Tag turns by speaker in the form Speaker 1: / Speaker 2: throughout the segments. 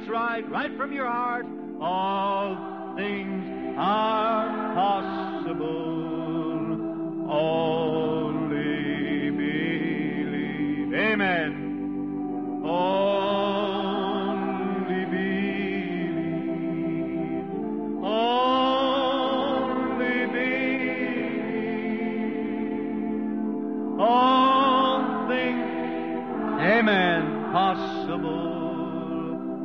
Speaker 1: That's right, right from your heart. All things are possible. Only believe. Amen. Only believe. Only believe. All things, amen, possible.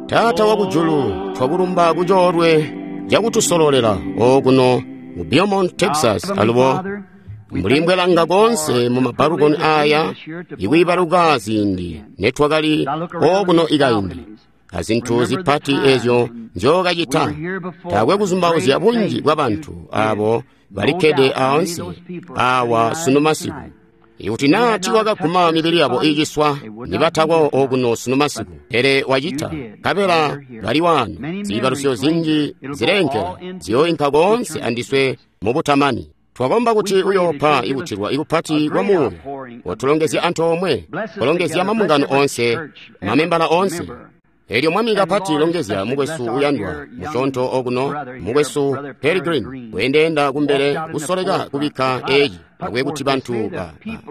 Speaker 2: Taata wakujulu, twakulumba kucoolwe cakutusololela okuno mu Beaumont, Texas alubo mbuli mbwelanga konse mu mabalukoni aya ikwiibaluka ziindi netwakali okuno ikaindi azintu zipati ezyo nzyookacita. Taakwe kuzumbauzya bunji bwa bantu abo balikkede aansi awa sunu masiku. Ikuti naa tiiwakaguma mibili yabo iiciswa, nibatako okuno sunu masiku. Pele wacita, nkabela bali waano. Ziibalusyo zinji zileenkela ziyooinka koonse andiswe mubutamani. Twakomba kuti uyoopa ikutilwa ikupati kwa Muuya, watulongezya antoomwe, kulongezya mambungano onse, mamembala onse. Elyo Mwami kapati longezya mukwesu uyandwa musyoonto okuno, mukwesu Pearry Green, weendeenda kumbele kusoleka kubikka eeci akwe kuti bantu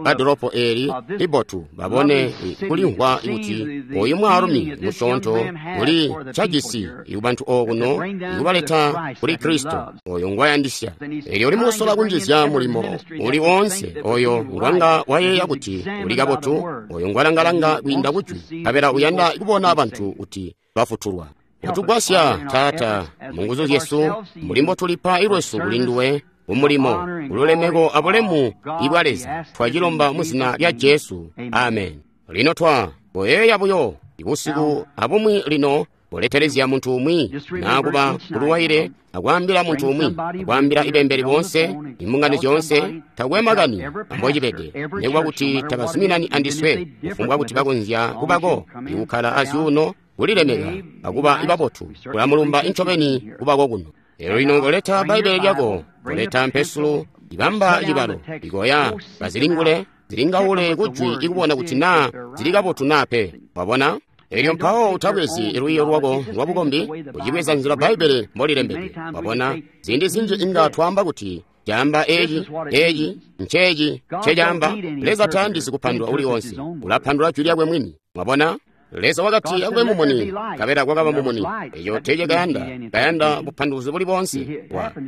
Speaker 2: ba dolopo eeli libotu babone kulimvwa kuti oyu mwaalumi musyoonto uli cajisi ikubantu okuno ikubaleta kuli Kristo oyo ngwayandisya. Elyo uli mukusola kunjizya mulimo uli woonse oyo ngwanga wayeeya kuti uli kabotu, oyo ngwalangalanga kwiinda kujwi, nkabela uyanda kubona bantu kuti bafutulwa. Utugwasya, Taata, mu nguzu zyesu, mbuli mbotulipa ilwesu kuli nduwe, kumulimo, kululemeko abulemu ibwa Leza. Twacilomba mu zina lya Jesu. Amen. Lino twa boyeeya buyo ibusiku abumwi lino buletelezya muntu umwi naakuba kuluwaile akwaambila muntu umwi, akwaambila ibembeli boonse, imbungano zyoonse, takwe makani ambocibede, nekuba kuti tabazuminani andiswe, kufumbwa kuti bakonzya kubako ikukkala azyuuno, kulilemeka akuba ibabotu, kulamulumba incobeni kubako kuno. Elyo lino koleta Bbaibbele lyako, koleta mpesulo, ibamba cibalo, ikoya, bazilingule, zilingaule kujwi ikubona kuti naa zili kabotu naa pe. Wabona? Elyo mpawo utabwezi lwiiyo lwako lwa bukombi, ucibweza nzila Bbaibbele mbolilembedwe. Wabona? Ziindi zinji inga twaamba kuti caamba eeci, eeci, nceeci, ncecaamba. Leza tayandisi kupandula uli onse, ulapandula jwi lyakwe mwini. Wabona? Leza wakati akube mumuni, nkabela kwakaba mumuni. Eco teecakayanda kayanda bupanduluzi buli boonse.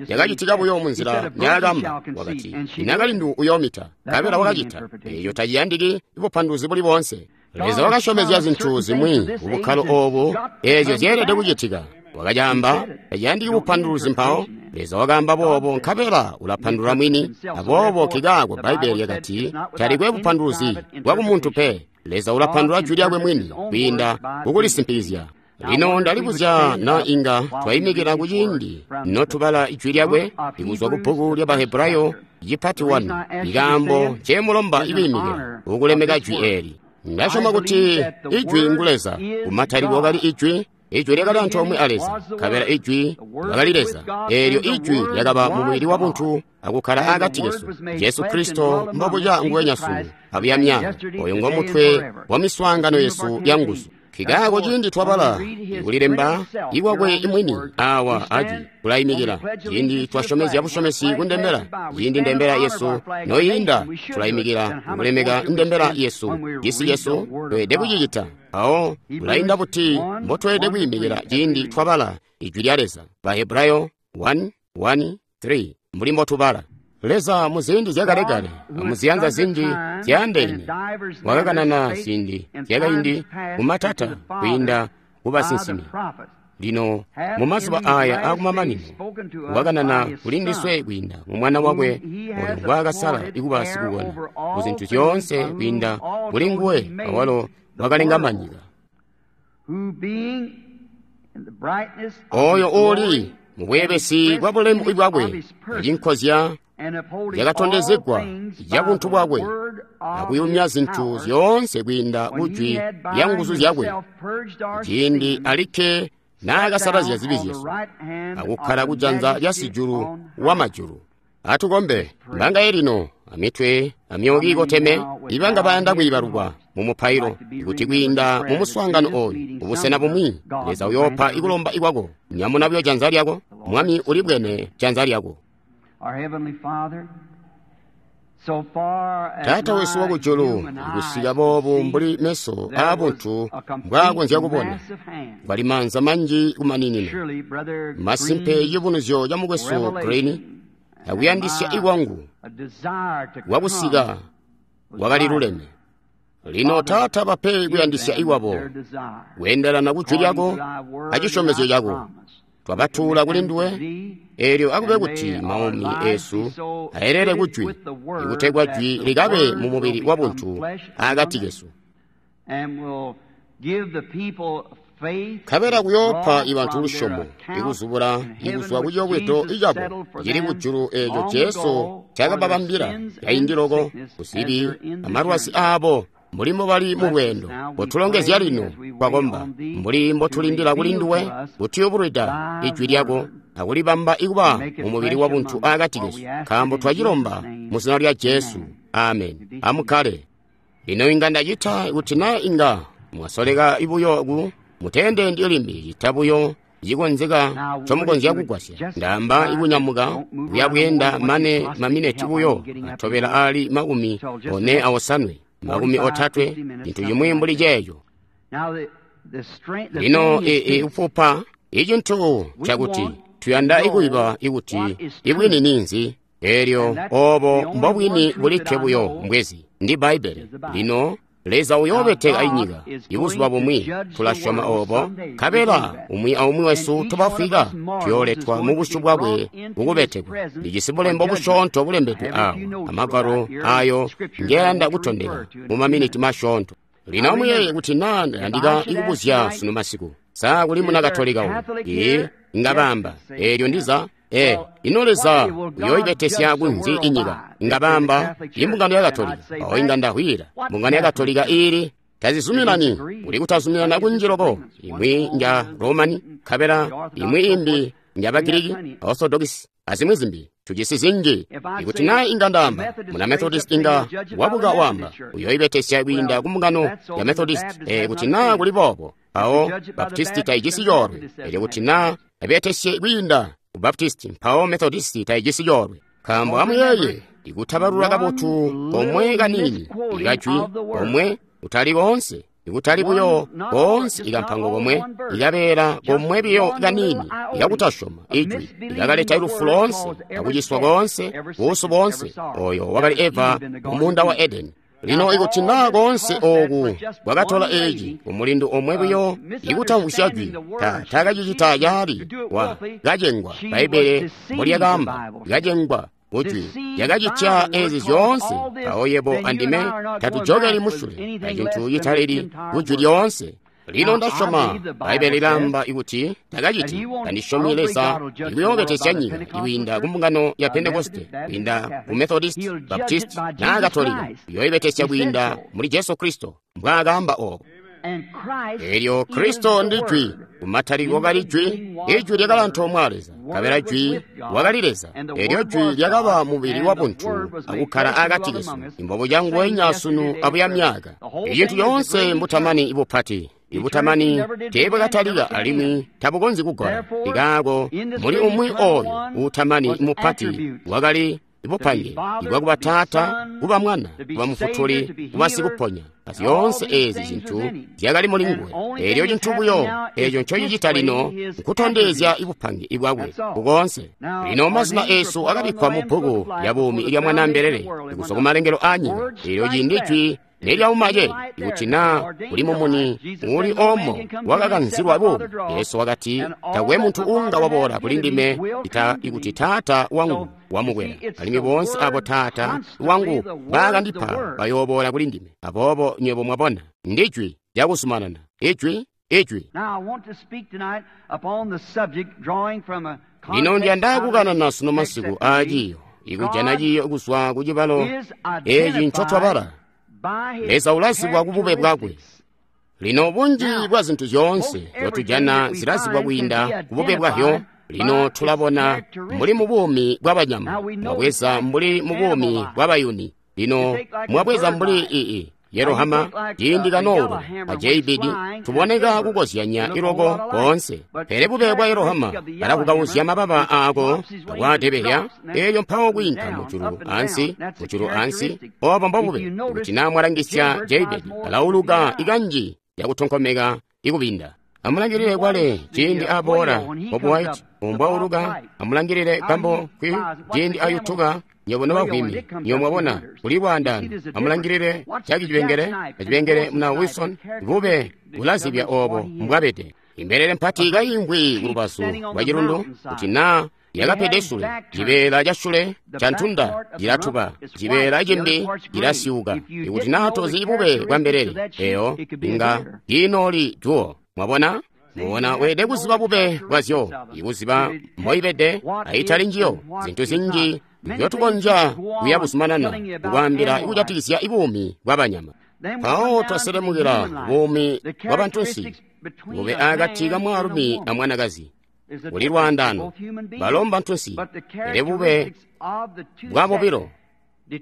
Speaker 2: Yakacitika buyo munzila nyaakamba. Wakati inakalindu uyoomita, nkabela wakacita. Eco taciyandiki bupanduluzi buli boonse. Leza wakasyomezya zintu zimwi kubukkalo oobu eezyo zyeelede kucitika. Wakacaamba, taciyandiki bupanduluzi mpawo. Leza wakaamba boobo, nkabela ulapandulula mwini. Aboobo kikaako Bbaibbele lyakati talikwe bupanduluzi bwakumuntu pe. Leza ulapandula jwi lyakwe mwini kwiinda kukulisimpikizya. Lino ndalibuzya na inga twayimikila kuciindi notubala ijwi lyakwe ikuzwa ku bbuku lya Bahebrayo cipati 1. Ikaambo ncemulomba ikwiimikila ukulemeka jwi eeli. Ndasyoma kuti ijwi ngu Leza. Kumatalikilo wakali ijwi, ijwi lyakali antoomwe a Leza, nkabela ijwi lyakali Leza. Eelyo ijwi lyakaba mumubili wabuntu akukkala akati kesu. Jesu Kristo mbobuca nguwenya sunu abuya myaaka, oyo ngomutwe wa miswaangano yesu ya nguzu. Kikaako ciindi twabala ikulilemba ikwakwe mwini awa ajwi tulayimikila. Ciindi twasyomezya busyomesi kundembela, ciindi ndembela yesu noyiinda, tulayimikila kukulemeka ndembela yesu. Cisi cesu tweelede kucicita. Mpawo tulainda buti mbotweelede kwiimikila ciindi twabala ijwi lya Leza. Bahebrayo 1:1-3 mbuli mbotubala. Leza muziindi zyakalekale amuziyanza zinji zyaandeene wakakanana ziindi zyakaindi kumatata kwiinda kubasinsimi. Lino mumazuba aya akumamanino wakanana kulindiswe kwiinda mu Mwana wakwe oyo ngwaakasala ikuba sikukona kuzintu zyoonse kwiinda kuli nguwe awalo wakalenga manyika. Oyo uuli mubweebesi bwa bulemu bwakwe acinkozya yakatondezegwa ya buntu bwakwe akuyumya zintu zyoonse kwiinda kujwi lya nguzu zyakwe, ciindi alikke naakasalazya zibi zyesu akukkala kujanza lya sijulu wa majulu. Atukombe. Mbangaye lino amitwe Amyoyo kiikoteme, ibanga bayanda kwiibalukwa mu mupailo, kuti kwiinda mu muswaangano oyu, kubusena bumwi, Leza uyoopa ikulomba ikwako. Nyamuna buyo janza lyako. Mwami ulibwene janza lyako. Taata wesu wakujulu, kusika boobu mbuli meso aabuntu mbwaakonzya kubona, kwali maanza manji kumaninina. Masimpe cibunuzyo ca mukwesu Green akuyandisya ikwangu kwakusika kwakali luleme. Lino Taata, bape kuyandisya ikwabo kweendelana ku jwi lyako acisyomezyo cako. Twabatuula kuli nduwe, eelyo akube kuti maumi esu ayelele ku jwi, ikutegwa jwi likabe mu mubili wa buntu akati kesu. Nkabela kuyoopa ibantu lusyomo, ikuzubula ikuzwa ku ciyobwedo icabo cili kujulu eeco Jesu ncaakababambila kaindi loko kuzibi amalwazi aabo mbuli mbobali mu lweendo. Kotulongezya lino, twakomba, mbuli mbotulindila kuli nduwe kutuyubulwida ijwi lyako akulibamba ikuba mu mubili wa buntu akati kesu, nkaambo twacilomba mu zina lya Jesu. Amen. Amukkale. Lino inga ndacita kuti naa inga mwasoleka buyo ku muteendendi limbi cita buyo cikonzeka ncomukonzya kugwasya. Ndaamba ikunyamuka kuya bweenda mane mamineti buyo atobela aali 45, 30, cintu cimwi mbuli ceeco. Lino ikufupa icintu cakuti tuyanda ikuyiba ikuti ibwini ninzi, eelyo oobo mbobwini bulikke buyo mbwezi ndi Bbaibbele. Lino Leza uyoobeteka inyika ibuzuba bumwi, tulasyoma oobo, nkabela umwi aumwi wesu tubafwika tuyooletwa mu busyu bwakwe kukubetekwa. Ndijisi bulembo busyoonto bulembedwe awa, amagwalo ayo ngeyanda kutondeka mu maminiti masyoonto. Lino amuyeeye kuti naa ndayandika ikubuzya sunu masiku, sa kuli muna Katolika uno? Ee, inga baamba, eelyo ndiza. Ino Leza uyooibetesya kunzi inyika? Inga baamba, imbungano ya Katolika. Awo inga ndahwira, mbungano ya Katolika iili tazizuminani, kuli kutazuminana kunji loko. Imwi nja Romani, nkabela imwi imbi nja Bagiriki, Orthodox, azimwi zimbi. Tujisi zinji. Ikuti naa inga ndaamba, muna Methodist inga wabuka wamba, uyooibetesya kwiinda ku mbungano ya Methodist. Kuti naa kuli boobo, awo Baptisti taijisi coolwe. Elyo kuti naa abetesye kwiinda Baptisti, mpawo Methodisti taijisi coolwe. Nkaambo amuyeeye, ikutabalula kabotu komwe kaniini ikajwi komwe kutali koonse, ikutali buyo koonse ikampango komwe, ikabeela komwe biyo kaniini ikakutasyoma ijwi ikakaleta lufu loonse, akuciswa koonse, buusu boonse. Oyo wakali Eva mu muunda wa Edeni. Lino ikuti naa koonse ooku kwakatola eeci kumulindu omwe buyo ikutamvwisya jwi, taakacicita caali, wa kacengwa. Bbaibbele mbolyakaamba, kacengwa kujwi lyakacitya eezi zyoonse. Mpawo yebo andime tatujokeli musule acintu citalili kujwi lyoonse. Lino ndasyoma Bbaibbele lilaamba ikuti takaciti. Tandisyomi Leza ikuyoobetesya nyika ikwiinda ku mbungano ya Pentekoste, kwiinda ku Methodist, Baptist naa Katolika. Uyooibetesya kwiinda muli Jesu Kristo, mbwaakaamba oobo. Eelyo Kristo ndi Jwi. Kumatalikilo wakali Jwi, Ijwi lyakali antoomwe a Leza, nkabela Jwi wakali Leza. Eelyo Jwi lyakaba mubili wa buntu akukkala akati kesu, imbobo canguwenya sunu abuya myaka. Icintu coonse mbutamani ibupati. Ibutamani teebwakatalika alimwi tabukonzyi kugola. Ikaako muli umwi ooyo uutamani mupati wakali bupange ibwakuba Taata, kuba Mwana, kuba Mufutuli, kuba Sikuponya. Zyoonse eezi zintu zyakali muli nguwe. Eelyo cintu buyo eeco ncocicita lino nkutondezya ibupange ibwakwe kukoonse. Lino mazina eesu akabikkwa mu bbuku lya buumi ilya Mwanaa Mbelele kuzwa kumalengelo aanyika. Eelyo ciindi jwi nelyauma ce, ikuti naa kuli mumuni uuli omo wakakanzilwa buumi, Jesu wakati, takwe muntu uunga waboola kuli ndime ita ikuti Taata wangu wamukwela, alimwi boonse abo Taata wangu baakandipa bayooboola kuli ndime. Aboobo nywebo mwabona, ndi jwi lyakuzumanana, ijwi, ijwi. Lino ndiyanda kukanana sunu masiku aaciiyo, ikujana ciiyo kuzwa ku cibalo eeci ncotwabala. Leza ulazibwa kubube bwakwe. Lino bunji bwa zintu zyoonse nzyotujana zilazibwa kwiinda kubube bwahyo. Lino tulabona mbuli mu buumi bwabanyama, mwabweza mbuli mu buumi bwabayuni. Lino mwabweza mbuli ii Yerohama ciindi kanoulu a JBD tuboneka kukozyanya iloko koonse, pele bube bwa Yerohama balakukauzya mababa aako akwaadebehya, eelyo mpawo kwiinka mujulu ansi, mujulu ansi. Obo mbobube. Kuti naa mwalangisya JBD alauluka ikanji yakutonkomeka ikubinda. Amulangilile kwale ciindi aboola Bob White umbwauluka. Amulangilile kambo kwi ciindi ayutuka nywebo nobavwimi, nywebo mwabona kuli lwaandaano. Amulangilile Jaki Cibengele acibengele muna Wilson, bube bulazibya obo mbwabede. Imbelele mpati kaimvwi kulubazu lwa cilundu, kuti naa yakapede sule, cibeela ca sule ca ntunda cilatuba, cibeela cimbi cilasyuka. Ikuti naa tozi bube bwa mbelele eyo, inga kiinooli juwo. Mwabona? Mwabona, weelede kuziba bube bwazyo, ikuziba mboibede aitali njiyo. Zintu zinji nzyotukonzya kuya buzumanana kukwaambila ikujatikizya buumi bwa banyama. Mpawo twaselemukila buumi bwa bantunsi, bube akati ka mwaalumi a mwanakazi. Kuli lwaandaano, balo mbantunsi, pele bube bwa bobilo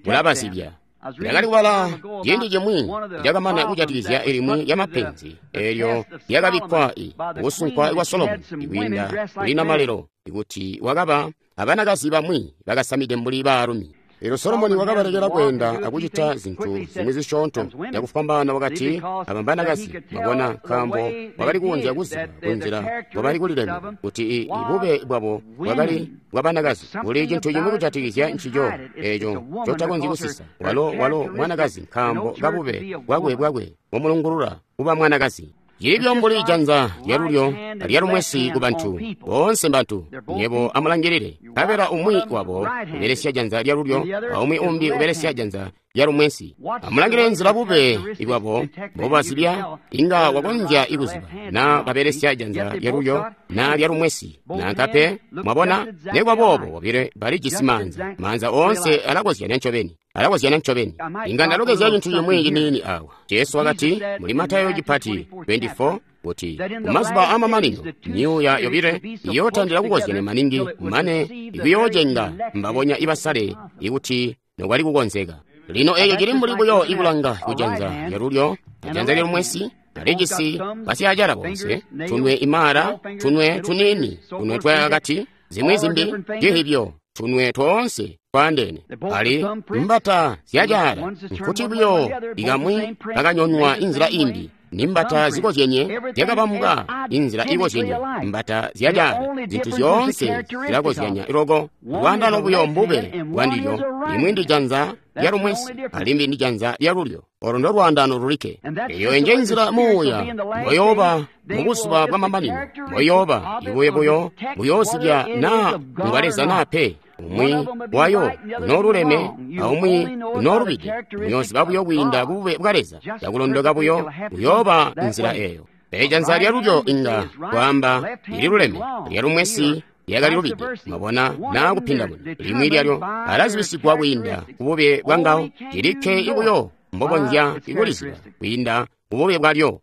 Speaker 2: bulabazibya. Ndakali kubala ciindi cimwi cakamana kujatikizya ilimwi ya mapenzi eelyo lyakabikkwa kusunkwa kwa Solomoni kwiinda kuli namalelo, kuti wakaba abanakazi bamwi bakasamide mbuli baalumi. Eelyo Solomoni wakabalekela kweenda akucita zintu zimwi zisyoonto cakufwambaana, wakati aba mbanakazi. Mwabona, nkaambo wakali kukonzya kuziba kunzila mbobali kulilemeka kuti ibube bwabo bwakali bwabanakazi. Kuli cintu cimwi kujatikizya ncico eeco ncotakonzyi kusisa. Walo mwanakazi nkaambo kabube bwakwe bumulungulula kuba mwanakazi. Cilibyo mbuli janza lyalulyo alyalumwesi ku bantu boonse mbantu. Nywebo amulangilile, nkabela umwi wabo ubelesya janza lyalulyo aumwi umbi ubelesya janza lyalumwesi. Amulangilile nzila bube bwabo mbobazibya, inga wakonzya ikuziba naa babelesya janza lyalulyo naa lyalumwesi nanka pe. Mwabona, nekuba boobo bobile balijisi maanza. Maanza oonse alakozyanya ncobeni. Alakozyanya ncobeni. Inga ndalokezya cintu cimwi ciniini awa. Jesu wakati muli Matayo cipati 24 kuti kumazuba amamanino myuuya yobile iyootandila kukozyanya maningi mane ikuyoocenga mbabonya ibasale ikuti nokwali kukonzeka. Lino eeco cili mbuli buyo ikulanga kujanza lyalulyo ajanza lyalumwesi. Alijisi basyaacala bonse, tunwe imara, tunwe tuniini, tunwe twakati, zimwi zimbi cihibyo, tunwe toonse twaandeene. Ali mbata zyacaala, nkuti buyo ikamwi kakanyonwa inzila imbi, nimbata zikozyenye zyakabambwa inzila ikozyenye, mbata zyacaala. Zintu zyoonse zilakozyanya loko. Lwaandano buyo mbube bwandilyo, limwi ndi janza lyalumwesi alimbi ndi janza lyalulyo. Olo ndo lwaandano lulikke. Eyo nje nzila muuya mboyooba mubuzuba bwa mamanino, mboyooba ibuye buyo buyoozibya naa ngwa Leza naa pe. Umwi wayo unooluleme aumwi unoolubide. Muyooziba buyo kwiinda kubube bwa Leza, cakulondoka buyo buyooba nzila eyo. Pele janza lyalulyo inga kwaamba lililuleme, lyalumwesi lyakali lubide. Mwabona, naa kupindamuna limwi lyalyo alazibisigwa kwiinda kubube bwangawo. Lilikke ibuyo mbokonzya ikuliziba kwiinda kubube bwalyo.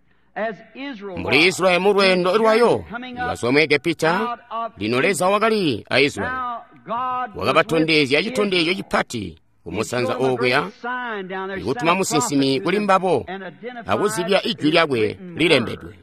Speaker 2: Mbuli Israeli mu lweendo lwayo ikazwa mu Egepita, lino Leza wakali a Israeli wakabatondezya citondezyo cipati kumusanza okuya, ikutuma musinsimi kuli mbabo akuzibya ijwi lyakwe lilembedwe.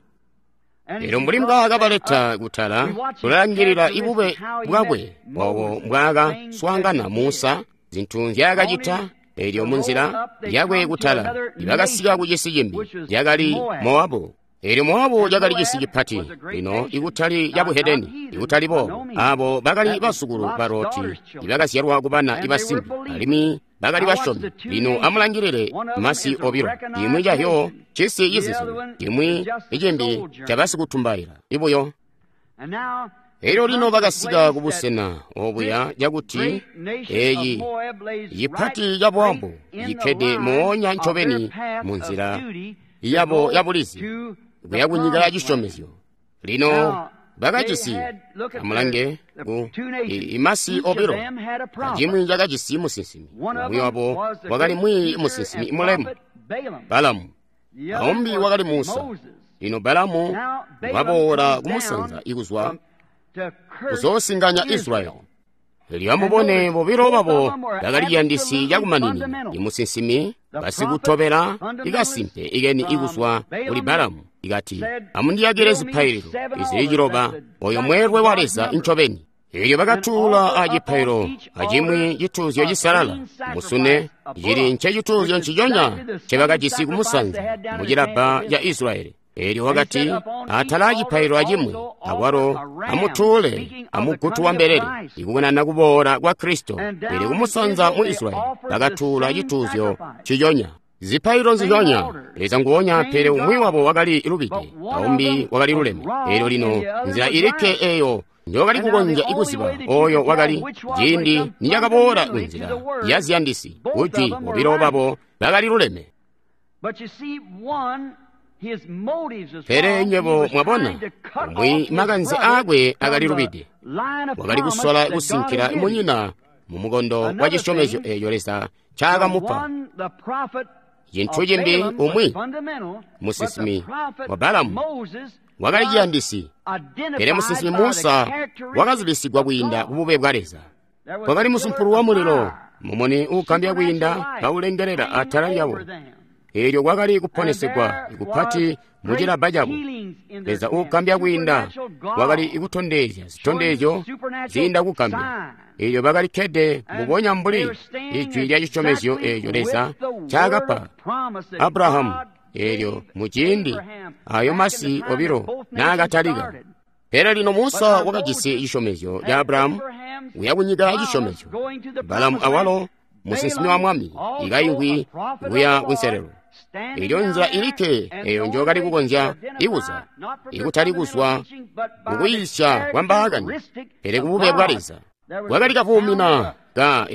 Speaker 2: Elyo mbuli mbwaakabaleta kutala, tulalangilila ibube bwakwe obo mbwaakaswaangana Musa, zintu nzyaakacita. Elyo munzila yakwe kutala ibakasika ku cisi cimbi cakali Moabu. Elyo Moabu cakali cisi cipati, lino ikutali cabuhedeni, ikutali boobo. Abo bakali basukulu ba Loti ibakazyalwa ku bana ibasimbi, alimwi bakali basyomi. Lino amulangilile masi obilo, cimwi cahyo cisi cizizwi, cimwi icimbi cabasikutumbaila ibuyo. Elyo lino bakasika kubusena obuya cakuti eeci cipati ca Moabu cikkede moonya ncobeni munzila yabo yabulizi kuya kunyika ya cisyomezyo. Lino bakajisi, amulange ku imasi obilo, acimwi cakajisi musinsimi. Umwi wabo wakali mwiiyi musinsimi mulemu Balamu, aumbi wakali Musa. Lino Balamu waboola kumusanza ikuzwa kuzoosinganya Israeli. Elyo amubone bobilo babo bakali ciyandisi cakumaninina, imusinsimi, basikutobela ikasimpe ikeni ikuzwa kuli Balamu, ikati, amundiyakile zipaililo izili 9, oyo mweelwe wa Leza ncobeni. Elyo bakatuula acipaililo acimwi cituuzyo cisalala, musune, cili ncecituuzyo nciconya ncebakajisi kumusanza mucilabba ca Israyeli. Elyo wakati, atala acipaililo acimwi, akwalo amutuule amugutu wa mbelele, ikukanana kuboola kwa Kristo. Elyo kumusanza mu Israyeli bakatuula cituuzyo nciconya, zipaililo nziconya, Leza nguonya, pele umwi wabo wakali lubide, aumbi wakali luleme. Elyo lino nzila ilikke eyo njokali kukonzya ikuziba oyo wakali, ciindi nicakaboola kunzila ya ziyandisi, kujwi, bobilo babo bakali luleme. Pele nywebo mwabona, umwi makanze aakwe akali lubide, wakali kusola kusinkila munyina mu mukondo wa cisyomezyo eeco Leza ncaakamupa. Cintu cimbi, umwi musinsimi wa Balamu wakali ciyandisi, pele musinsimi Musa wakazibisigwa kwiinda kubube bwa Leza. Kwakali musumpulu wa mulilo, mumuni uugambya kwiinda kaulengelela atala lyabo. Eelyo kwakali kuponesegwa ikupati mucilabba cabo. Leza uugambya kwiinda wakali ikutondezya zitondezyo ziinda kugambya. Eelyo bakali kkede mbubonya mbuli ijwi lya cisyomezyo eeco Leza ncaakapa Abrahamu, eelyo muciindi ayo masi obilo naakatalika. Pele lino Musa wakajisi cisyomezyo ca Abrahamu kuya kunyika ya cisyomezyo. Balamu awalo musinsimi wa mwami ikaingwi kuya kunselelo. Elyo nzila ilikke eyo njokali kukonzya ikuza, ikutali kuzwa kukuyiisya kwa mbaakani, pele kubube bwa Leza. Kwakali kavuumina ka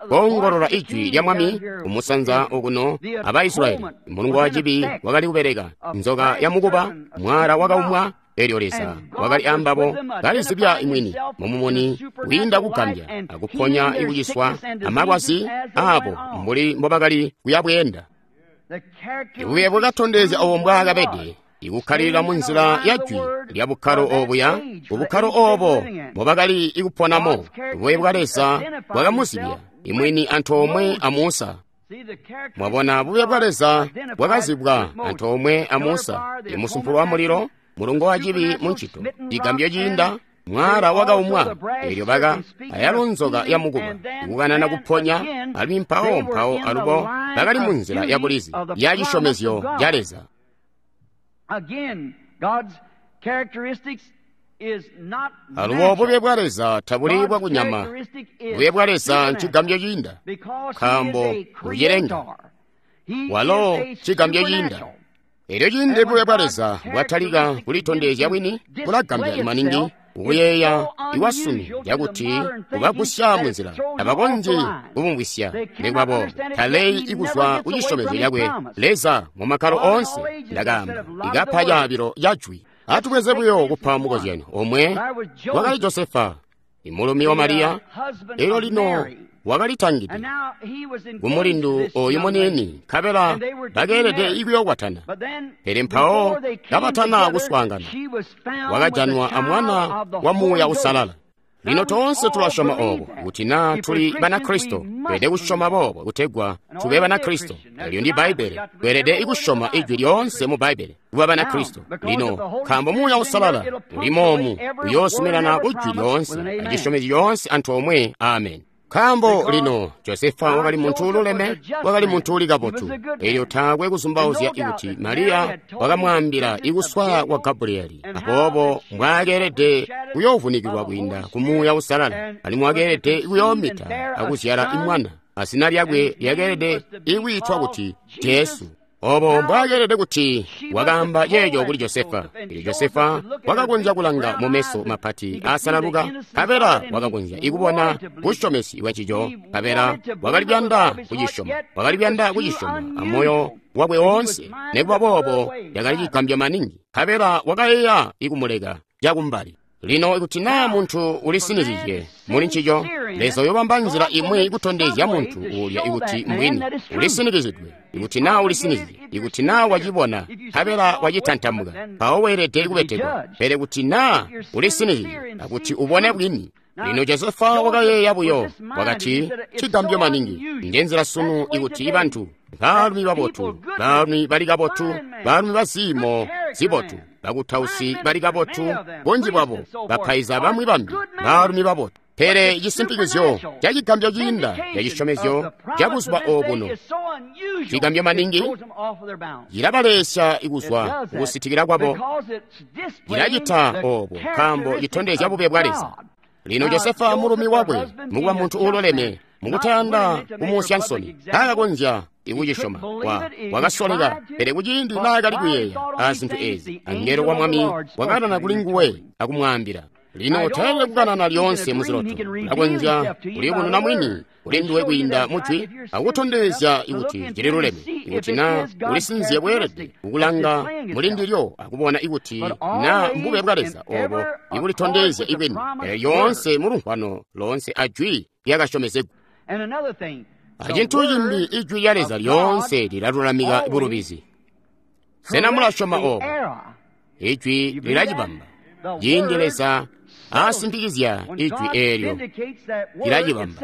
Speaker 2: koongolola ijwi lya mwami kumusanza okuno aba Israyeli. Mulungu wa cibi wakali kubeleka, nzoka ya mukuba, mwala wakaumwa. Elyo Leza wakali ambabo, kalizibya imwini mumumuni wiinda kugambya akuponya ikuciswa amalwazi abo mbuli mbobakali kuyabweenda. Ibube bwakatondezya obo mbwaakabede, ikukkalilila munzila ya jwi lya bukkalo obuya, kubukkalo obo mbobakali ikuponamo. Bube bwa Leza bwakamuzibya imwini antoomwe a Musa. Mwabona, bube bwa Leza bwakazibwa antoomwe a Musa, imusumpulu wa mulilo, mulungo wa cibi muncito, cigambyo ciinda, mwala wakaumwa. Elyo baka ayalo nzoka ya mukuba, ikukanana kuponya, alimwi mpawo mpawo alubo bakali munzila ya bulizi ya cisyomezyo ca Leza. Alubo bube bwa Leza tabuli bwakunyama. Bube bwa Leza ncigambyo ciinda, nkaambo ucilenga walo cigambyo ciinda. Elyo ciindi bube bwa Leza bwatalika kulitondezya bwini, bulagambya maningi ukuyeeya iwasunu cakuti kubagusya munzila tabakonzyi kubumvwisya. Nikuba boobo taleyi ikuzwa kucisyomezyo cakwe Leza mu makkalo oonse. Ndakaamba ikapa caabilo ca jwi. Atubweze buyo kupa mukozyanyo omwe. Wakali Josefa, imulumi wa Mariya. Elyo lino wakalitangide kumulindu oyu muniini, nkabela bakeelede ikuyokwatana. Pele mpawo kabatana kuswaangana, wakajanwa amwana wa Muuya Usalala. Lino toonse tulasyoma oobo, kuti naa tuli Banakristo, tweelede kusyoma boobo kutegwa tube Banakristo. Elyo ndi Bbaibbele, tweelede ikusyoma ijwi lyoonse mu Bbaibbele kuba Banakristo. Lino nkaambo Muuya Usalala ulimomu, uyoosumirana kujwi lyoonse acisyomezyo lyoonse antoomwe. Amen. Nkaambo lino Josefa wakali muntu ululeme, wakali muntu uli kabotu. Elyo taakwe kuzumbauzya ikuti Mariya wakamwaambila ikuswaya kwa Gabriyeli, aboobo mbwaakeelede kuyoovunikilwa kwiinda ku Muuya Usalala, alimwi wakeelede kuyoomita akuzyala imwana, azina lyakwe lyakeelede ikwiitwa kuti Jesu. Obo mbwaakeelede kuti wakaamba ceeco kuli Josefa. Elyo Josefa wakakonzya kulanga mu meso mapati aasalaluka, nkabela wakakonzya ikubona busyomesi bwa cico, nkabela wakali kuyanda kucisyoma, wakali kuyanda kucisyoma amoyo wakwe woonse. Nikuba boobo yakali cigambyo maningi, nkabela wakayeeya ikumuleka cakumbali. Lino ikuti naa muntu ulisinizizye muli ncico, Leza uyobamba nzila imwi kutondezya muntu uulya ikuti mbwini ulisinikizidwe. Ikuti naa ulisinizizye, ikuti naa wacibona nkabela wacitantamuka, mpawo weelede kubetekwa. Pele kuti naa ulisinizizye akuti ubone bwini. Lino Josefa wakayeeya buyo, wakati, cigambyo maningi. Ndenzela sunu ikuti bantu, baalumi babotu, baalumi bali kabotu, baalumi baziimo zibotu, bakutausi bali kabotu, bunji bwabo, bapaiza bamwi bambi, baalumi babotu. Pele cisimpikizyo ca cigambyo ciinda ca cisyomezyo ca buzuba obuno, cigambyo maningi cilabalesya ikuzwa kukusitikila kwabo. Cilacita obo nkaambo citondezya bube bwa Leza. Lino Josefa mulumi wakwe, mukuba muntu uuloleme, mukutayanda kumuusya nsoni, taakakonzya ikucisyoma. Wakasoleka, pele kuciindi naakali kuyeeya aazintu ezi, angelo wa Mwami wakanana kuli nguwe akumwaambila. Lino tayelele kukanana lyoonse muziloto, ulakonzya kuliyubununa mwini kuli nduwe kwiinda mujwi akutondezya ikuti cililuleme, ikuti na ulisinzye bweelede kukulanga muli ndilyo akubona ikuti na mbube bwa Leza obo ikulitondezya ibwini, pele lyoonse mulumvwano loonse ajwi lyakasyomezegwa. Acintu cimbi, ijwi lya Leza lyoonse lilalulamika bulubizi. Sena mulasyoma obo? Ijwi lilacibamba. Ciindi Leza aasimpikizya ijwi eelyo, lilacibamba.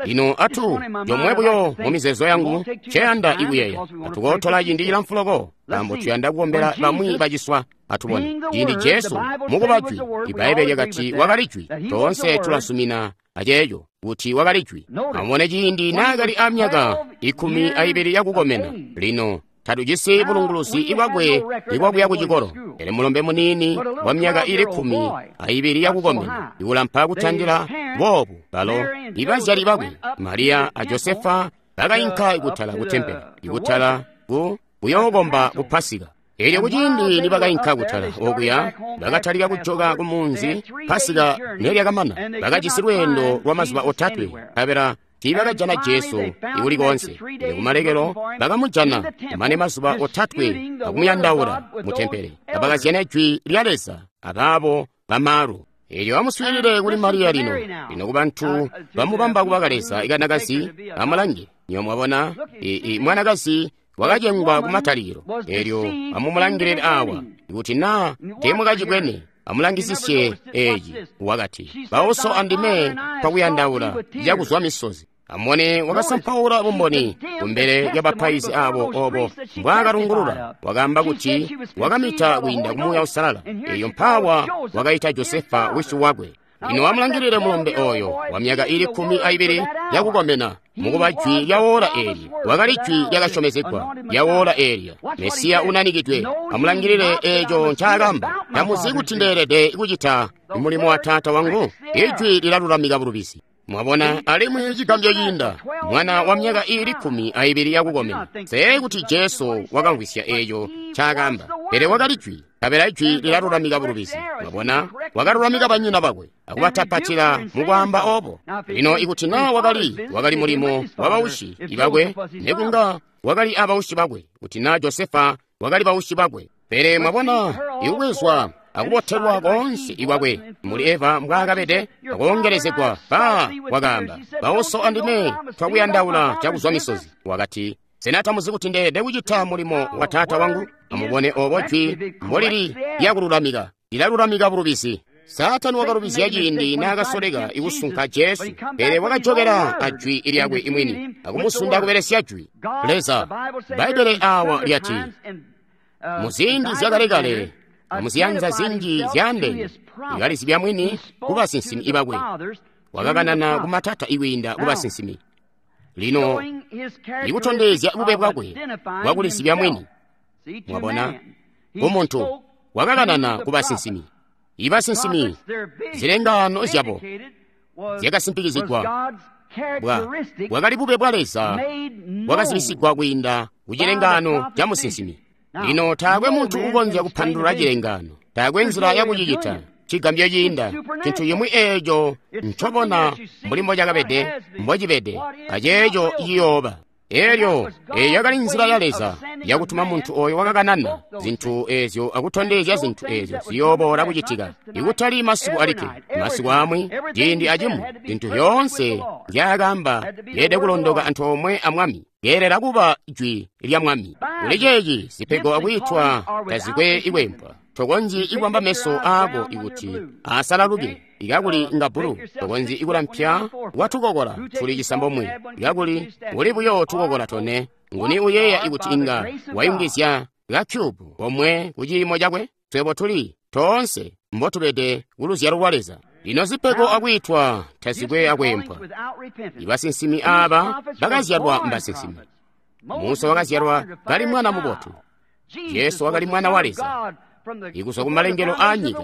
Speaker 2: Lino atu jomwe buyo mu mizeezo yangu nceyanda ikuyeeya. Atukootola ciindi cilamfu loko, nkaambo tuyanda kukombela bamwi baciswa. Atubone ciindi Jesu mukuba jwi, Ibbaibbele lyakati wakali jwi. Toonse tulasumina aceeco kuti wakali jwi. Amubone ciindi naakali amyaka 12 yakukomena. Lino tatujisi bulunguluzi bwakwe ibwakuya ku cikolo, pele mulombe muniini wa myaka ili 12 yakukomena, ikulampa kutandila boobu. Balo ibazyali bakwe Mariya a Josefa bakayinka ikutala ku tempele, ikutala ku kuyookomba ku Pasika. Elyo kuciindi nibakayinka kutala okuya, bakatalika kujoka ku munzi. Pasika nelyakamana, bakajisi lweendo lwa mazuba 3, nkabela tiibakajana Jesu ikuli koonse. Pele kumalekelo bakamujana kumane mazuba 3 akumuyandaula mu tempele, kabakazyana jwi lya Leza abaabo bamaalu. Elyo amuswiilile kuli Mariya lino. Lino kubantu bamubamba kuba kaleza ikanakazi, amulange. Nyo mwabona, mwanakazi wakacengwa kumatalikilo. Elyo amumulangilile awa, kuti na teemwakacibwene, amulangisisye eeci. Wakati, bauso andime twakuyandaula cakuzwa misozi. Amubone, wakasampaula bumboni kumbele lyabapaizi abo obo mbwaakalungulula. Wakaamba kuti wakamita kwiinda ku Muuya Uusalala. Eyo mpaawa wakaita Josefa wisi wakwe. Lino amulangilile mulombe oyo wa myaka ili 12 yakukomena, mukuba jwi lya wola eli. Wakali jwi lyakasyomezegwa lya wola eelya, Mesiya unanikidwe. Amulangilile eeco ncaakamba: tamuzi kuti ndeelede kucita mulimo wa Taata wangu? Ijwi lilalulamika bulubizi. Mwabona, alimwi cigambyo ciinda, mwana wa myaka ili 12 yakukomena. Nse kuti Jesu wakamvwisya eeco ncaakamba, pele wakali jwi, nkabela ijwi lilalulamika bulubizi. Mwabona, wakalulamika banyina bakwe akubatapatila mukwaamba obo. Lino ikuti na wakali mulimo wa baushi bakwe, nekunga wakali abaushi bakwe, kuti na Josefa wakali baushi bakwe. Pele mwabona, ikubwezwa akubotelwa koonse ikwakwe muli Eva mbwaakabede, akoongelezegwa. Ba wakaamba, bauso andime twakuyandaula cakuzwa misozi. Wakati, sena tamuzi kuti ndeelede kucita mulimo wa Taata wangu? Amubone obo jwi mbolili lyakululamika, lilalulamika bulubizi. Saatani wakalubizya ciindi naakasoleka ikusunka Jesu, pele wakajokela ajwi lyakwe imwini akumusunda kubelesya jwi. Leza, Bbaibbele awa lyati, muziindi zyakalekale amuziyanza zinji zyaandeene, ikalizibya mwini kubasinsimi bakwe. Wakakanana kumatata ikwiinda kubasinsimi. Lino ikutondezya bube bwakwe bwakulizibya mwini. Mwabona, kumuntu wakakanana kubasinsimi. Ibasinsimi, zilengaano zyabo zyakasimpikizigwa. Bwakali bube bwa Leza bwakazibisigwa kwiinda kucilengaano ca musinsimi. Lino taakwe muntu ukonzya kupandulula cilengaano, taakwe nzila yakucicita. Cigambyo ciinda, cintu cimwi eeco ncobona mbuli mbocakabede, mbocibede, aceeco ciyooba. Elyo eyo yakali nzila ya Leza yakutuma muntu oyo wakakanana zintu ezyo akutondezya zintu ezyo ziyooboola kucitika, ikutali masiku alikke, masiku amwi, ciindi acimwi. Zintu zyoonse nzyaakaamba yeelede kulondoka antoomwe a Mwami, yeelela kuba jwi lya Mwami. Kuli ceeci zipego akwiitwa tazikwe ikwempwa. Tokonzyi ikubamba meso aako ikuti asalaluke ikakuli nga bulu. Tokonzyi ikulampya kwatukokola tuli cisambomwe ikakuli uli buyo tukokola tone. Nguni uyeeya ikuti inga wayungizya ka cube komwe ku ciimo cakwe? Twebo tuli toonse mbotubede kuluzyalo lwa Leza. Lino zipego akwiitwa tazikwe akwempwa. Ibasinsimi aaba bakazyalwa mbasinsimi. Musa wakazyalwa kali mwana mubotu. Jesu wakali mwana wa Leza ikuzwa ku malengelo aa nyika,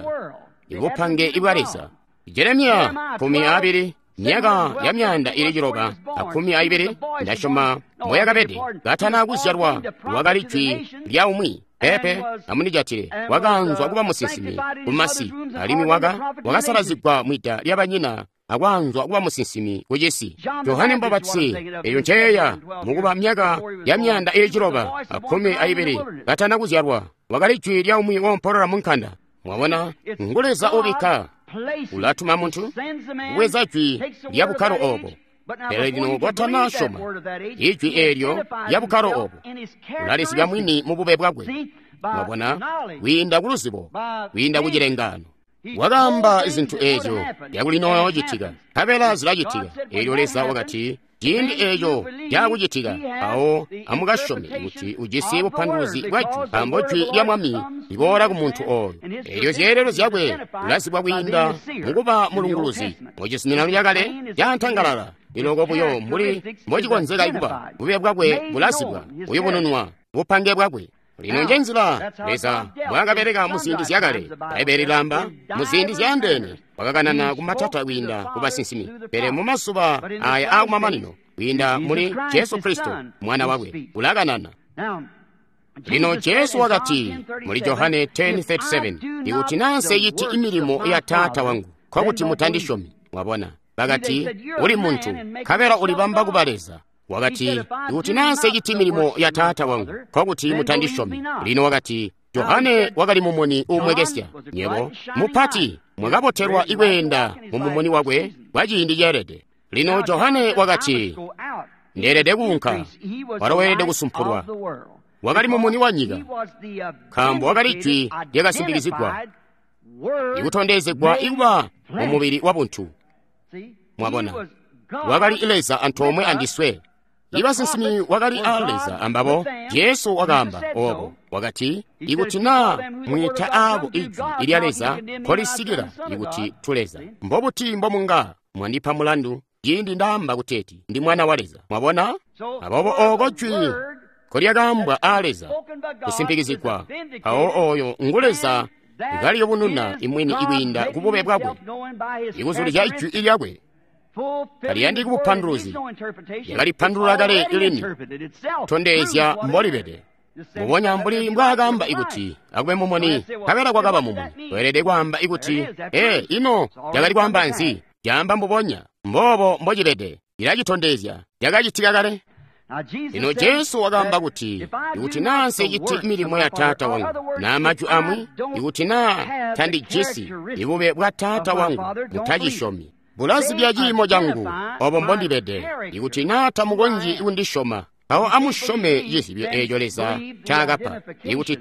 Speaker 2: ibupange ibwa Leza. Jeremiya 12, myaka ya 912, ndasyoma mboyakabede katana kuzyalwa wakali jwi lya umwi. Pepe amunijatile, wakaanzwa kuba musinsimi kumasi, alimwi wakasalazigwa mwida lya banyina akwaanzwa kuba musinsimi kucisi. Johane Mbapatizi, eyo nceeya mukuba myaka ya 912 katana kuzyalwa, wakali jwi lya umwi wompolola mu nkanda. Mwabona, ngu Leza ubikka, ulatuma muntu kubweza jwi lya bukkalo obo. Pele lino kotana syoma ijwi eelyo lya bukkalo obo, ulalizibya mwini mu bube bwakwe. Mwabona, kwiinda ku luzibo, kwiinda ku cilengano. Wakaamba zintu eezyo zyakulinoocitika, nkabela zilacitika. Eelyo Leza wakati, ciindi eeco caakucitika, awo amukasyome kuti ujisi bupanduluzi bwa jwi, nkaambo jwi lya Mwami liboola ku muntu ooyo. Eelyo zyeelelo zyakwe ulazibwa kwiinda mukuba mulunguluzi. Mucizuminano cakale caantangalala iloko buyo mbuli mbocikonzeka kuba, bube bwakwe bulazibwa, buyubununwa bupange bwakwe. Lino njenzila Leza mbwaakabeleka muziindi zyakale. Bbaibbele lilaamba muziindi zyaandeene wakakanana kumatata kwiinda ku basinsimi, pele mumazuba aya aakumamanino kwiinda muli Jesu Kristo mwana wakwe ulakanana. Lino Jesu wakati muli Johane 10:37, ikuti naa nseciti imilimo ya Taata wangu, nkokuti mutandisyomi. Mwabona, bakati uli muntu, nkabela ulibamba kuba Leza. Wakati, ikuti naa nseciti milimo ya Taata wangu, nkokuti mutandisyomi. Lino wakati, Johane wakali mumuni uumwekesya. Nyebo mupati mwakabotelwa ikweenda mu mumuni wakwe kwa ciindi ceelede. Lino Johane wakati, ndeelede kuunka, walo weelede kusumpulwa. Wakali mumuni wa nyika, nkaambo wakali jwi lyakasimbikizigwa, ikutondezegwa ikuba mu mubili wa buntu. Mwabona, wakali Leza antoomwe andiswe. Ibasinsimi wakali a Leza ambabo. Jesu wakaamba obo, wakati, ikuti naa mwiita aabo ijwi ilya Leza nkolisikila ikuti tu Leza, mbobuti mbomunga mwandipa mulandu ciindi ndaamba kuteeti ndi mwana wa Leza? Mwabona? Aboobo ooko jwi nkolyakaambwa a Leza kusimpikizigwa, awo oyo ngu Leza kaliyubununa imwini ikwiinda ku bube bwakwe, ikuzulizya ijwi ilyakwe. Taliyandiki bupanduluzi, yakalipandulula kale lini, tondezya mbolibede. Mbubonya mbuli mbwaakaamba ikuti akube mumuni, nkabela kwakaba mumuni. Weelede kwaamba ikuti, ino lyakali kwaamba nzi? Caamba mbubonya mboobo mbocibede, ilacitondezya lyakacitika kale. Lino Jesu wakaamba kuti, ikuti naa nseciti milimo ya Taata wangu, naa majwi amwi, ikuti naa tandijisi ibube bwa Taata wangu, mutacisyomi. Bulazibya ciimo cangu, obo mbondibede. Ikuti naa tamukonzyi kundisyoma, awo amusyome cizibyo eeco Leza ncaakapa. Ikuti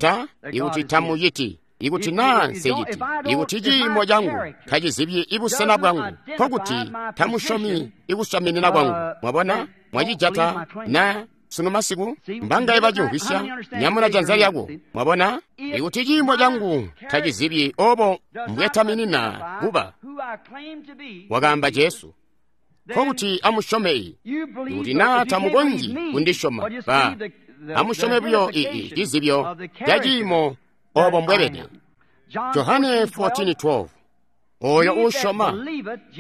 Speaker 2: tamuciti, ikuti naa nseciti, ikuti ciimo cangu tacizibyi ibusena bwangu, nkokuti tamusyomi ikusyaminina kwangu. Mwabona, mwacijata na sunu masiku mbangaye bacimvwisya? Nyamuna janza lyako. Mwabona, ikuti ciimo cangu tacizibyi obo mbwetaminina kuba, wakaamba Jesu, nkokuti amusyome iyi. Ikuti naa tamukonzyi kundisyoma, ba amusyome buyo ii cizibyo ca ciimo obo mbwebede. Johane 14:12, oyo uusyoma,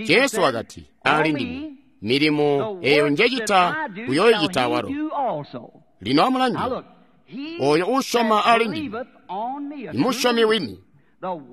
Speaker 2: Jesu wakati, ali ndime, milimo eyo njecita uyoyicita walo. Lino amulange, oyo uusyoma ali ndime, imusyomi wini,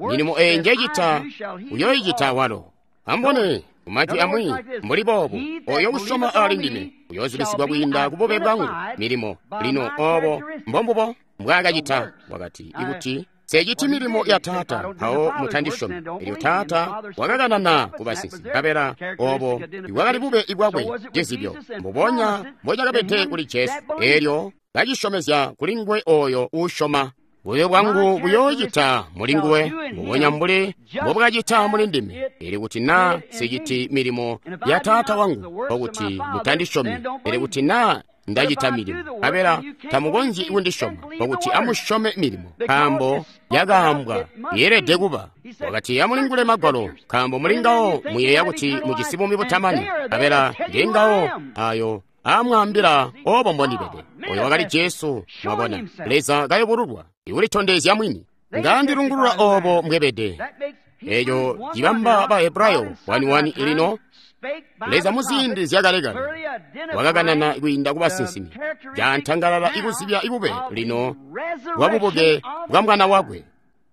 Speaker 2: milimo eyo njecita uyoyicita walo. Ambone kumajwi amwi mbuli boobu, oyo usyoma ali ndime uyozibisigwa kwiinda ku bube bwangu milimo. Lino obo mbombubo mbwaakacita. Wakati, ikuti nseciti milimo ya Taata, mpawo mutandisyomi. Elyo Taata wakakanana ku basinsimi, nkabela obo ibwakali bube bwakwe cizibyo, mbubonya mbocakabede kuli Jesu. Elyo kacisyomezya kuli nguwe oyo uusyoma. Bube bwangu buyoocita mulinguwe mbubonya mbuli mbobwakacita muli ndime. Pele kuti naa nsiciti milimo ya Taata wangu, nkokuti mutandisyomi. Pele kuti naa ndacita milimo, nkabela tamukonzyi kundisyoma, nkokuti amusyome milimo, nkaambo yakaambwa yeelede kuba. Wakati, amulingule Magwalo, nkaambo mulingawo muyeeya kuti mujisi buumi butamani, nkabela ngengawo ayo amwaambila obo mbondibede. Oyo wakali Jesu, mwabona, Leza kayubululwa, ikulitondezya mwini. Ngandilungulula obo mbwebede. Eco cibamba ba Hebrayo 1:1 ilino. Leza muziindi zyakalekale wakakanana kwiinda ku basinsimi, cantangalala ikuzibya ibube lino bwa bubuke bwa Mwana wakwe.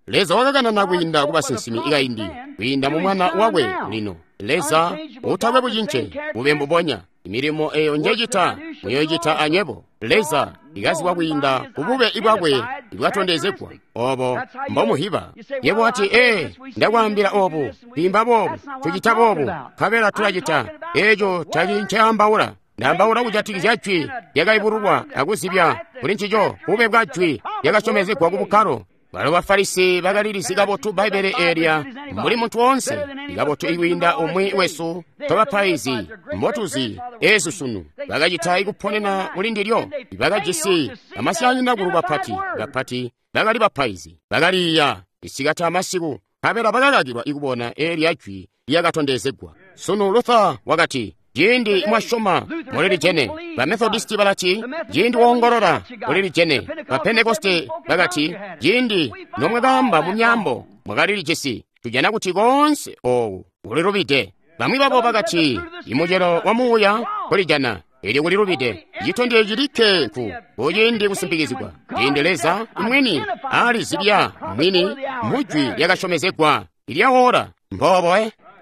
Speaker 2: Leza wakakanana kwiinda ku basinsimi ikaindi, kwiinda mu Mwana wakwe lino. Leza utakwe bucince, bube mbubonya. Milimo eyo njecita muyoicita anywebo. Leza ikazibwa kwiinda ku bube bwakwe ibwatondezegwa, obo mbomuhiba. Yebo wati, ee, ndakwaambila obu, twiimba boobu, tucita boobu, nkabela tulacita. Eco tali nceambaula. Ndaambaula kujatikizya jwi lyakayubululwa akuzibya kuli ncico bube bwa jwi lyakasyomezegwa ku bukkalo. Balo Bafarisi bakalilizi kabotu Bbaibbele eelya mbuli muntu woonse, ikabotu ikwiinda umwi wesu twabapaizi mbotuzi eesu sunu. Bakacita ikuponena kuli ndilyo. Bakajisi amasyaanyinakulu bapati bapati bakali bapaizi, bakaliiya isikati amasiku, nkabela bakakakilwa ikubona eelya jwi lyakatondezegwa. Sunu Luther wakati, ciindi mwasyoma mulilijene. Ba Methodisti balati, ciindi woongolola mulilijene. Ba Pentekoste bakati, ciindi nomwakaamba mu myaambo mwakalilijisi. Tujana kuti koonse ooku kulilubide. Bamwi babo bakati, imucelo wa muuya kulijana, elyo kulilubide. Citondezyo cilikke ku kuciindi kusimpikizigwa, ciindi Leza mwini alizibya mwini mu jwi lyakasyomezegwa ilyawola. Mboobo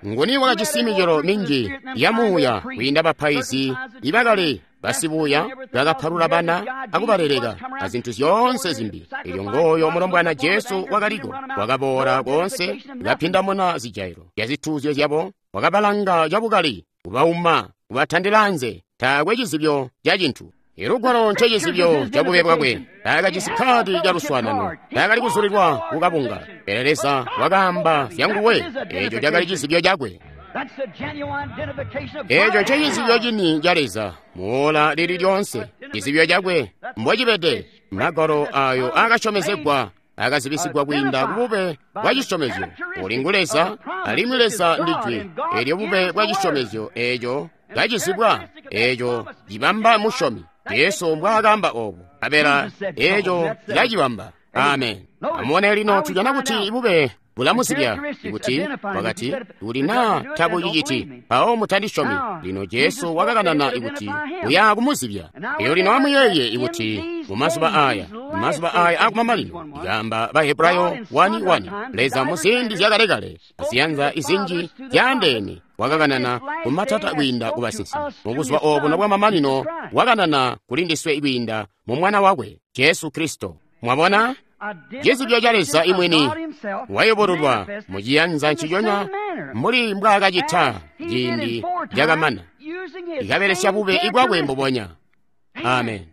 Speaker 2: nguni wakajisi micelo minji ya muuya kwiinda bapaizi ibakali basibuya bakapalula bana akubaleleka azintu zyoonse zimbi. Elyo ngooyo mulombwana Jesu wakaliko, wakaboola koonse, kapindamuna zijailo zyazituuzyo zyabo, wakabalanga cabukali, kubauma, kubatandila anze. Taakwe cizibyo ca cintu. Ilugwalo ncecizibyo ca bube bwakwe. Taakajisi kkaadi ca luswaanano, taakali kuzulilwa kukabunga. Pele Leza wakaamba zyanguwe, eco cakali cizibyo cakwe. Eco ncecizibyo cini ca Leza muola lili lyonse, cizibyo cakwe mbocibede. Magwalo ayo akasyomezegwa akazibisigwa kwiinda ku bube bwa cisyomezyo. Uli ngu Leza, alimwi Leza ndi Jwi. Elyo bube bwa cisyomezyo eco kacizibwa, eco cibamba musyomi. Jesu mbwaakaamba obo, nkabela eco cilacibamba. Amen. Amubone lino, tujana kuti bube bulamuzibya kuti wakati, kuti naa tabuciciti, mpawo mutandisyomi. Lino Jesu wakakanana ikuti uya kumuzibya. Elyo lino amuyeeye ikuti mumazuba aya, mazuba aya akumamanino, ikaamba ba Hebrayo 1:1, Leza muziindi zyakalekale aziyanza izinji zyaandeene wakakanana kumatata kwiinda ku basinsimi. Mubuzuba obuno bwamamanino wakanana kuli ndiswe kwiinda mu Mwana wakwe Jesu Kristo. Mwabona, cizibyo ca Leza imwini wayubululwa muciyanza nciconya mbuli mbwaakacita ciindi cakamana, ikabelesya bube ibwakwe mbubonya. Amen.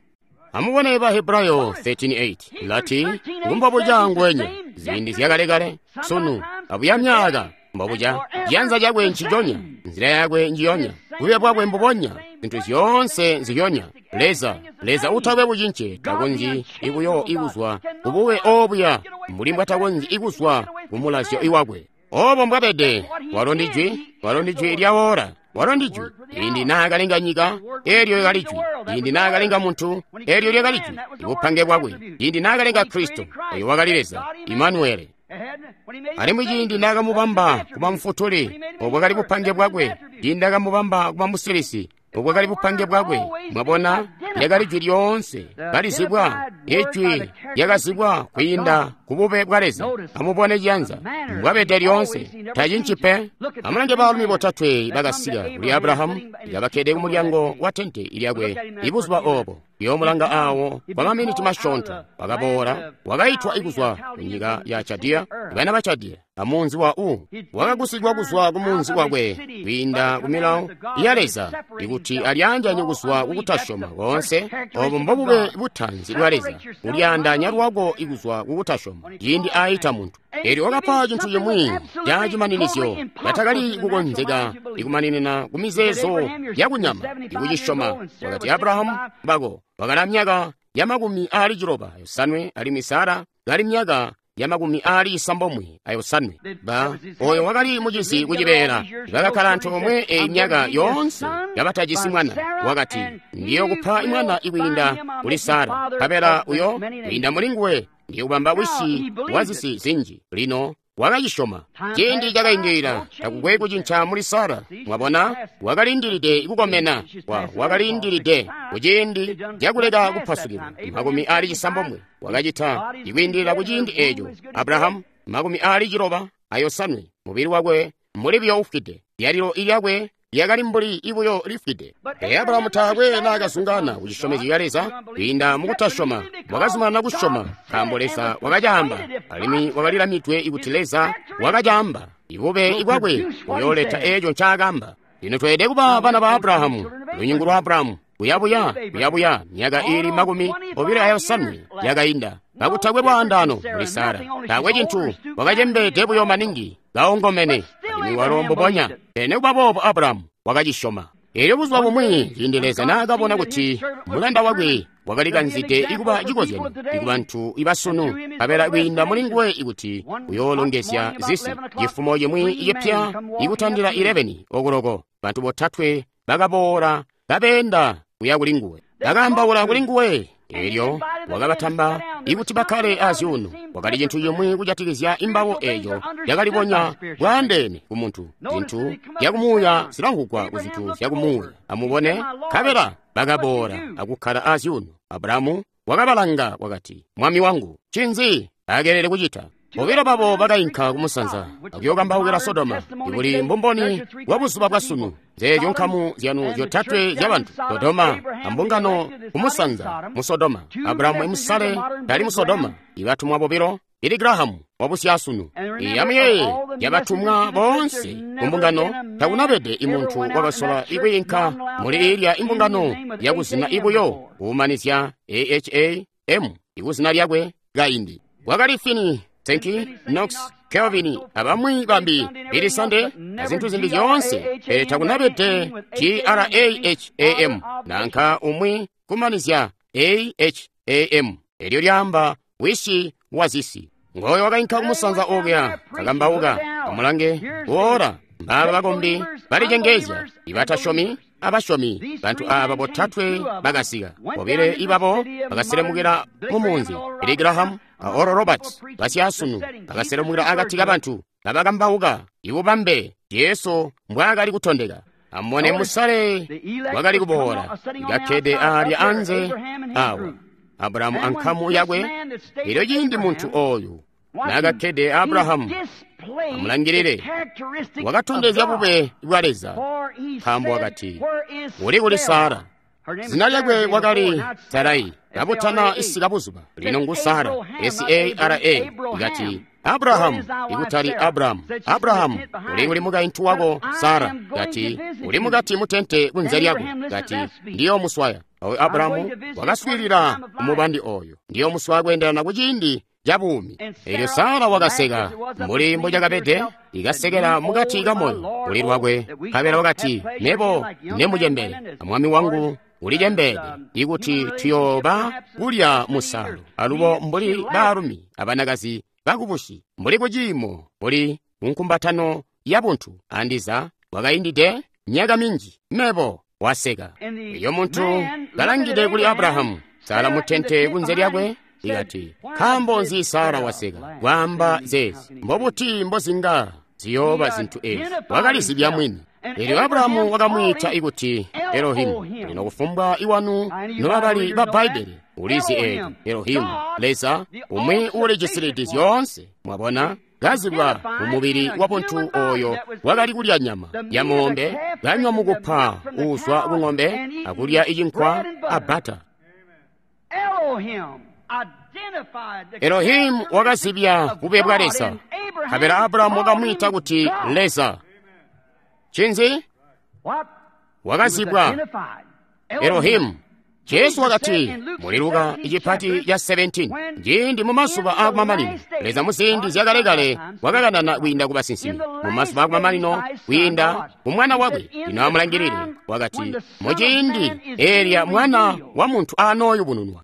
Speaker 2: Amubone ba Hebrayo 13:8 lati, ngumbobuca ngwenya ziindi zyakalekale, sunu abuya myaka, mbobuca ciyanza cakwe nciconya, nzila yakwe njiyonya, bube bwakwe mbubonya, zintu zyoonse nziyonya. Leza, Leza utakwe bucince, takonzyi ikuyo ikuzwa kubube obuya mbuli mbwatakonzyi ikuzwa kumulazyo iwakwe. Obo mbwabede, walo ndi Jwi, walo ndi Jwi lyawola, walo ndi Jwi. Ciindi naakalenga nyika, eelyo lyakali Jwi. Ciindi naakalenga muntu, eelyo lyakali Jwi. Ibupange bwakwe. Ciindi naakalenga Kristo, oyo wakali Leza, Imanuele. Alimwi ciindi naakamubamba kuba mufutuli, obwakali bupange bwakwe. Ciindi naakamubamba kuba musilisi, obwakali bupange bwakwe. Mwabona, lyakali Jwi lyoonse kalizibwa, ijwi lyakazibwa kwiinda ku bube bwa Leza. Amubone ciyanza mbwabede lyoonse, tacinci pe. Amulange baalumi botatwe bakasika kuli Abrahamu, kabakkede ku mulyango wa tente lyakwe ibuzuba obo. Yoomulanga awo kwa maminiti masyoonto, wakaboola, wakaitwa ikuzwa ku nyika ya Chadiya, bana ba Chadiya, amunzi wa U. Wakagusigwa kuzwa ku munzi wakwe kwiinda ku milawo ya Leza, ikuti alyaanjanye kuzwa kukutasyoma koonse Lyoonse obo mbobube butaanzi bwa Leza, kulyaandaanya lwako ikuzwa kukutasyoma ciindi aita muntu. Elyo wakapa cintu cimwi ca cimaninizyo catakali kukonzeka ikumaninina ku mizeezo yakunyama ikucisyoma. Wakati, Abrahamu bako wakali myaka ya 95 alimwi Sara kali myaka ya 95. Ba oyo wakali mucizi kucibeela, bakakkala antoomwe eyi myaka yoonse kabatajisi mwana. Wakati, ndiyokupa mwana ikwiinda kuli Sara, nkabela uyo kwiinda muli nguwe ndiyokubamba wisi wa zisi zinji. Lino wakacisyoma. Ciindi cakaindilila, takukwe kucinca muli Sara. Mwabona, wakalindilide kukomena, wakalindilide kuciindi cakuleka kupasukilwa. 90 wakacita ikwiindilila kuciindi eco. Abrahamu 95, mubili wakwe muli buyo ufwide, lyalilo ilyakwe lyakali mbuli ibuyo lifwide. Pele Abrahamu taakwe naakazungana ku cisyomezyo ca Leza kwiinda mukutasyoma. Wakazumanana kusyoma nkaambo Leza wakacaamba, alimwi wakalilamidwe ikuti Leza wakacaamba. Ibube ibwakwe buyooleta eeco ncaakaamba. Lino tweelede kuba bana ba Abrahamu, lunyungu lwa Abrahamu, kuyabuya kuyabuya myaka iili 25 yakainda, kakutakwe lwaandaano muli Sara, taakwe cintu, wakacembeede buyo maningi, kaongomene, alimwi walo mbubonya. Pele nikuba boobo Abrahamu wakacisyoma. Elyo buzuba bumwi ciindi Leza naakabona kuti mulanda wakwe wakalikanzide ikuba cikozyanyo ikubantu ibasunu, nkabela kwiinda muli nguwe ikuti uyoolongezya zisi. Cifumo cimwi icipya ikutandila 11 okuloko, bantu botatwe bakaboola kabeenda kuya kuli nguwe, bakaambaula kuli nguwe. Elyo wakabatamba ikuti bakkale azyuuno. Wakali cintu cimwi kujatikizya imbabo eeco cakalibonya bwaandeene ku muntu. Zintu zyakumuuya zilamvwugwa ku zintu zyakumuuya. Amubone, nkabela bakaboola akukkala azyuuno. Abrahamu wakabalanga wakati, Mwami wangu, ncinzi akelele kucita? Bobilo babo bakainka kumusanza akuyokambaukila Sodoma, ibuli mbumboni bwa buzuba bwa sunu. Zeezyo nkamu zyanu zyotatwe zyabantu, Sodoma ambungano kumusanza mu Sodoma, Abrahamu imusale tali mu Sodoma, ibatumwa bobilo, Billy Graham wabusyasunu. Amuyeeye, yabatumwa boonse kumbungano takunabede imuntu wakasola ikwiinka muli ilya imbungano yakuzina ibuyo kuumanizya AHAM ikuzina lyakwe kaindi. Wakali Finney, Sankey, Knox, Calvin, abamwi bambi, Billy Sunday, azintu zimbi zyoonse, pele takunabede Graham nanka umwi kumanizya AHAM. Elyo lyaamba wisi wa zisi. Ngoyo wakainka kumusanza okuya kakambauka. Amulange, ora mbaaba bakombi balicengezya, ibatasyomi abasyomi. Bantu aaba botatwe bakasika, bobile ibabo bakaselemukila mu munzi, Billy Graham a Oral Roberts basyasunu bakaselemukila akati kabantu kabakambauka ibubambe Jesu mbwaakali kutondeka. Amubone musale wakali kuboola ikakkede aalya anze awa, Abrahamu ankamu yakwe. Elyo ciindi muntu oyu naakakkede Abrahamu, amulangilile, wakatondezya bube bwa Leza, nkaambo wakati, uli kuli Sara. Zina lyakwe wakali Sarai, kabutana isika buzuba, lino ngu Sara, S-A-R-A. Ikati, Abrahamu, ikutali Abrahamu. Abrahamu, uli kuli mukaintu wako Sara. Kati, uli mukati mutente kunze lyako. Kati, ndiyo muswaya. Awe Abrahamu wakaswiilila umubandi oyo, ndiyo muswaya kweendelana kuciindi ca buumi. Elyo Sara wakaseka mbuli mbucakabede, ikasekela mukati kamoyo kuli lwakwe. Nkabela wakati, Mebo nemucembele, amwami wangu ulicembeede, ikuti tuyooba kulya musalo alubo mbuli baalumi abanakazi bakubusi, mbuli kuciimo, mbuli kunkumbatano ya buntu. Andiza wakaindide myaka minji, mebo waseka. Elyo muntu kalangide kuli Abrahamu, Sara mutente kunze lyakwe, ikati, nkaambo nzi Sara waseka kwaamba zeezi? Mbobuti mbozinga ziyooba zintu ezi? Wakalizibya mwini. Elyo Abrahamu wakamwiita ikuti Elohimu. Lino kufumbwa iwanu nobabali ba Bbaibbele ulizi eelyo Elohimu, Leza umwi uulijisilidi zyoonse. Mwabona, kazibwa mumubili wa buntu oyo wakali kulya nyama ya moombe, kanywa mukupa uuzwa ku ng'ombe, akulya icinkwa a bbata. Elohimu wakazibya bube bwa Leza, nkabela Abrahamu wakamwiita kuti Leza. Cinzi? Wakazibwa Elohimu. Jesu wakati muli Luka icipati ca 17, ciindi mu mazuba aakumamanino, Leza muziindi zyakalekale wakakanana kwiinda ku basinsimi. Mu mazuba aakumamanino kwiinda ku Mwana wakwe. Lino amulangilile, wakati muciindi eelya Mwana wa muntu anooyubununwa.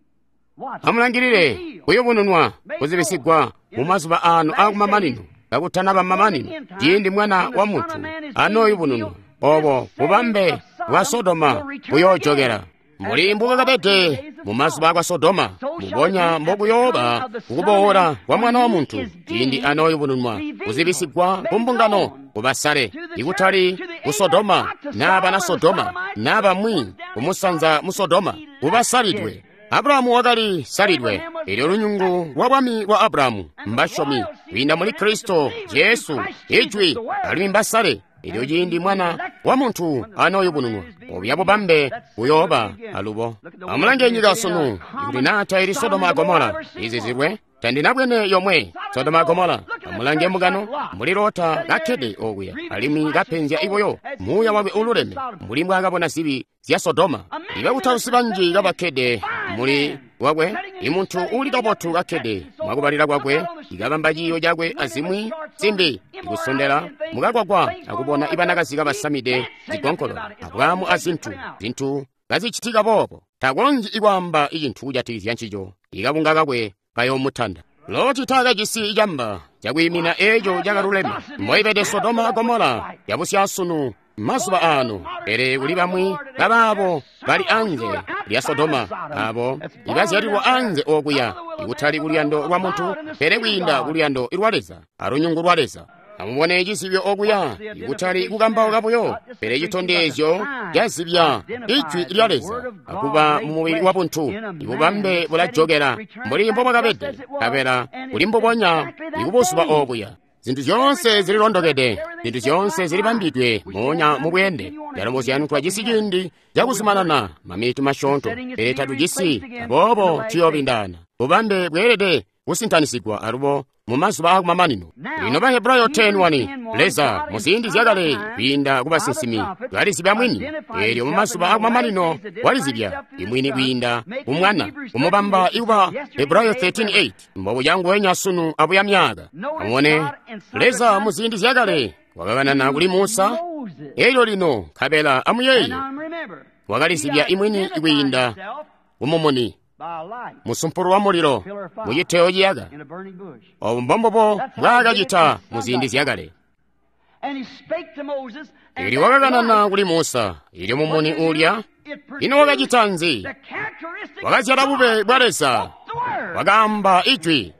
Speaker 2: Amulangilile, kuyubununwa, kuzibisigwa mu mazuba aano aakumamanino, kakutanaba mamanino, ciindi Mwana wa muntu anooyubununwa, obo bubambe bwa Sodoma buyoojokela. Mbuli mbukakabede mu mazuba akwa Sodoma, mbubonya mbokuyooba kukuboola kwa Mwana wa muntu, ciindi anooyubununwa, kuzibisigwa ku mbungano, kubasale, ikutali ku Sodoma, naa bana Sodoma, naa bamwi kumusanza mu Sodoma, kubasalidwe. Abrahamu wakali salidwe, elyo lunyungu lwa bwami bwa Abrahamu mbasyomi kwiinda muli Kristo Jesu, Ijwi, alimwi mbasale. Elyo ciindi Mwana wa muntu anooyubununwa, obya bubambe buyooba alubo. Amulange nyika sunu, ikuti naa taili Sodoma a Gomora izizilwe, tandinabwene yomwe Sodoma a Gomora. Amulange mbungano mbuli Lota kakkede okuya, alimwi kapenzya ibuyo muuya wakwe ululeme, mbuli mbwaakabona zibi zya Sodoma. Ibakutausi banji kabakkede muli wakwe, imuntu uuli kabotu kakkede mwakubalila kwakwe, ikabamba ciiyo cakwe azimwi zimbi, ikusondela mukagwagwa akubona ibanakazi kabasamide zigonkolo, abwaamu azintu, zintu kazicitika boobo. Takonzyi ikwaamba icintu kujatikizya ncico, ikabunga kakwe kayoomutanda. Loti taakajisi icamba cakwiimina eeco cakaluleme. Mboibede Sodoma a Gomora yabusyasunu mazuba aano, pele kuli bamwi babaabo bali anze lya Sodoma, abo ibazyalilwa anze okuya, ikutali kuluyando lwa muntu, pele kwiinda kuluyando lwa Leza alunyungu lwa Leza. Amubone cizibyo okuya, ikutali kukambauka buyo, pele citondezyo cazibya Ijwi lya Leza akuba mu mubili wa buntu. Ibubambe bulajokela mbuli mbobwakabede, nkabela kuli mbubonya ikubuzuba obuya. Zintu zyoonse zililondokede, zintu zyoonse zilibambidwe moonya mu bweende. Ndalombozya twajisi ciindi cakuzumanana maminiti masyoonto, pele tatujisi, aboobo tuyoobindana. Bubambe bweelede kusintanisigwa alubo mu mazuba aakumamanino. Lino Bahebrayo 10:1, Leza muziindi zyakale kwiinda ku basinsimi walizibya mwini, eelyo mu mazuba aakumamanino walizibya imwini kwiinda ku Mwana, kumubamba ikuba Hebrayo 13:8, mbobuya nguwenya sunu abuya myaaka. Amubone, Leza muziindi zyakale wakakanana kuli Musa, eelyo lino nkabela amuyeeye, wakalizibya imwini kwiinda kumumuni, musumpulu wa mulilo muciteyo ciyaka. Obu mbombubo mbwaakacita muziindi zyakale. Elyo wakakanana kuli Musa, elyo mumuni ulya, ino wakacita nzi? Wakazyala bube bwa Leza, wakaamba Ijwi.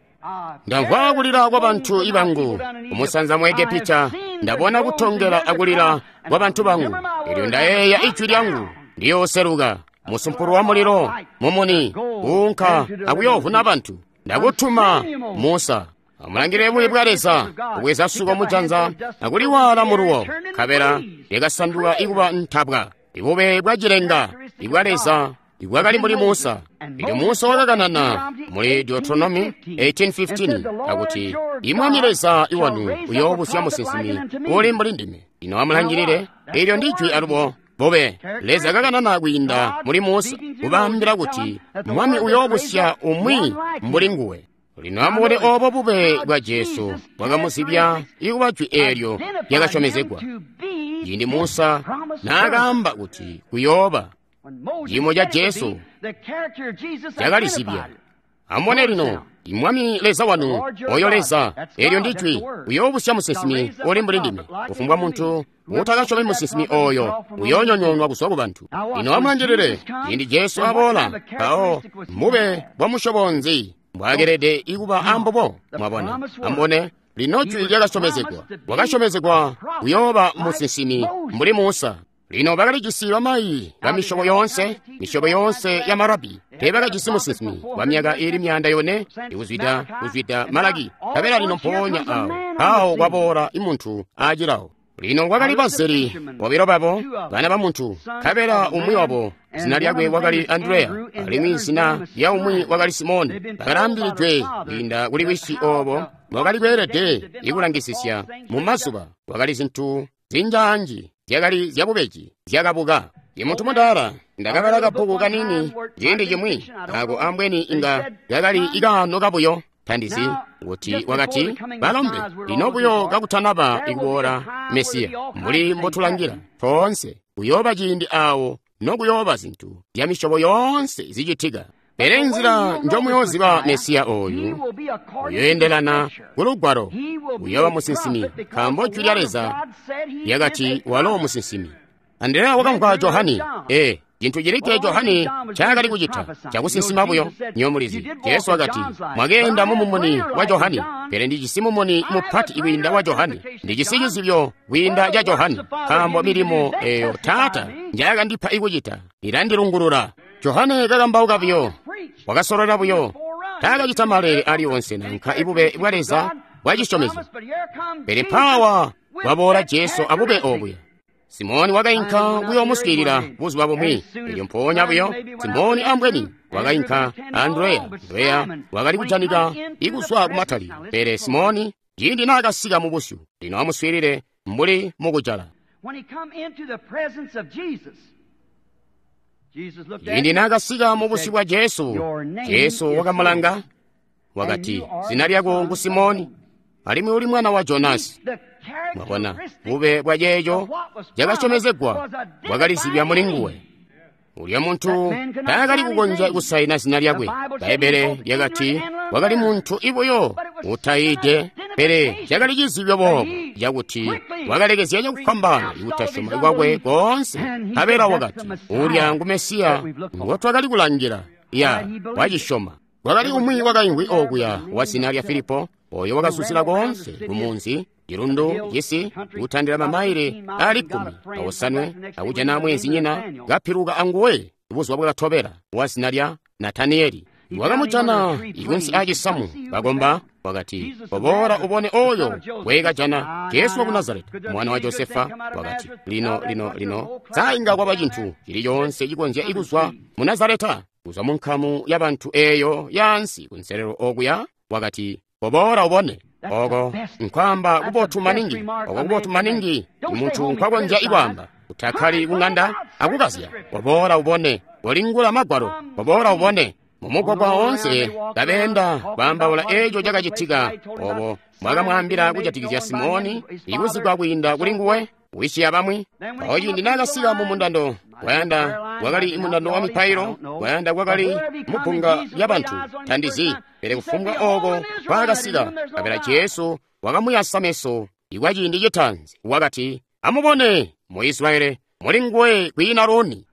Speaker 2: Ndamvwa kulila kwa bantu ibangu kumusanza mu Egepita, ndabona kutongela akulila kwa bantu bangu, elyo ndayeeya ijwi lyangu, ndiyooseluka musumpulu wa mulilo mumuni kuunka akuyoovuna bantu. Ndakutuma Musa. Amulangile bubi bwa Leza, kubweza suko mujanza akuliwaala muluwo, nkabela lyakasanduka ikuba ntabwa. Ibube bwa cilenga ibwa Leza ibwakali muli Musa. Elyo Musa wakakanana muli Deuteronomy 18:15 akuti, Imwami Leza iwanu uyoobusya musinsimi uli mbuli ndime. Ino amulangilile, elyo ndi jwi alubo bube. Leza kakanana kwiinda muli Musa, kubaambila kuti Mwami uyoobusya umwi mbuli nguwe. Lino amubone obo bube bwa Jesu bwakamuzibya ikuba jwi eelyo lyakasyomezegwa. Ciindi Musa naakaamba kuti kuyooba, ciimo ca Jesu cakalizibya. Amubone lino, Imwami Leza wanu, oyo Leza, eelyo ndi jwi, uyoobusya musinsimi uli mbuli ndime. Kufumbwa muntu utakasyomi musinsimi oyo uyoonyonyoonwa kuzwa ku bantu. Lino amulangilile, ciindi Jesu aboola, mpawo mbube bwa musyobo nzi mbwakelede ikuba ambubo? Mwabona, amubone, lino jwi lyakasyomezegwa. Wakasyomezegwa kuyooba musinsimi mbuli Musa. Lino bakalijisi bamayi ba misyobo yoonse, misyobo yoonse ya marabi. Teebakajisi musinsimi wa myaka iili 400 ikuzwida Malaki. Nkabela lino mpoonya awo, awo kwaboola imuntu aacilawo. Lino kwakali bazeli bobilo babo, bana ba muntu, nkabela umwi wabo zina lyakwe wakali Andreya, alimwi zina lya umwi wakali Simoni. Bakalaambilidwe kwiinda kuli wisi obo wakali kweelede ikulangisisya mu mazuba. Wakali zintu zinjaanji zyakali zyabubeji zyakabuka. Imuntu mudaala Ndakabala kabbuku kanini ciindi cimwi ako ambweni inga kakali ikaano kabuyo. Tandizi kuti wakati, balombe, lino buyo kakutanaba ikuboola Mesiya, mbuli mbotulangila toonse, kuyooba ciindi awo nokuyooba zintu zya misyobo yoonse zicitika. Pele nzila njomuyooziba Mesiya oyu uyoendelana ku Lugwalo, uyooba musinsimi, nkaambo Jwi lya Leza lyakati walo musinsimi. Andreya wakamvwa Johani. Cintu cilikke Johani ncaakali kucita cakusinsima buyo. Nyo mulizi, Jesu wakati, mwakeenda mu mumuni wa Johani, pele ndijisi mumuni mupati kwiinda wa Johani, ndijisi cizibyo kwiinda ca Johani, nkaambo milimo eyo Taata njayakandipa ikucita ilandilungulula. Johane kakambauka buyo, wakasolola buyo, taakacita maleele aliwonse nanka ibube bwa Leza bwa cisyomezyo. Pele mpaawa waboola Jesu abube obuya. Simoni wakainka kuyoomuswiilila buzuba bumwi. Elyo mpoonya buyo Simoni ambweni wakainka Andreya. Andreya wakali kujanika ikuzwa kumatali. Pele Simoni ciindi naakasika mu busyu, lino amuswiilile mbuli mukujala. Ciindi naakasika mu busyu bwa Jesu, Jesu wakamulanga, wakati, zina lyako ngu Simoni, alimwi uli mwana wa Jonasi. Mwabona, bube bwa ceeco cakasyomezegwa bwakalizibya muli nguwe. Ulya muntu taakali kukonzya kusaina zina lyakwe. Bbaibbele lyakati wakali muntu ibuyo utayiide, pele cakali cizibyo boobo cakuti wakalekezya cakufwambaana ikutasyoma kwakwe koonse. Nkabela wakati, ulya ngu Mesiya ngotwakali kulangila. Ya, wacisyoma. Kwakali umwi wakaimvwi okuya wa zina lya Filipo, oyo wakazuzila koonse kumunzi, cilundu, cisi, kutandila mamaile ali 15 akujana mweenzinyina kapiluka anguwe buzuba bwakatobela wa zina lya Nataniyeli. Wakamujana ikunsi aacisamu kakomba, wakati, koboola ubone oyo wekajana Jesu waku Nazareti, mwana wa Josefa. Wakati, lino lino lino sainga kwaba cintu cili coonse cikonzya ikuzwa mu Nazareta, kuzwa mu nkamu ya bantu eyo yaansi kunselelo okuya. Wakati, koboola ubone. Oko nkwamba kubotu maningi, oko kubotu maningi muntu nkwakonzya ikwaamba, utakkali kung'anda akukazya. Koboola ubone, kolingula magwalo, koboola ubone. Mumugwagwa woonse kabeenda kwaambaula eeco cakacitika, obo mwakamwaambila kujatikizya Simoni ikuzigwa kwiinda kuli nguwe, wisi abamwi. Mpawo ciindi naakasika mu mundando, kwayanda kwakali mundando wa mipailo, kwayanda kwakali mubbunga lyabantu, tandizi, pele kufumbwa oko kwaakasika, nkabela Jesu wakamuyasa meso ikwa ciindi citaanzi. Wakati, amubone mu Israeli muli nguwe kwiina luuni.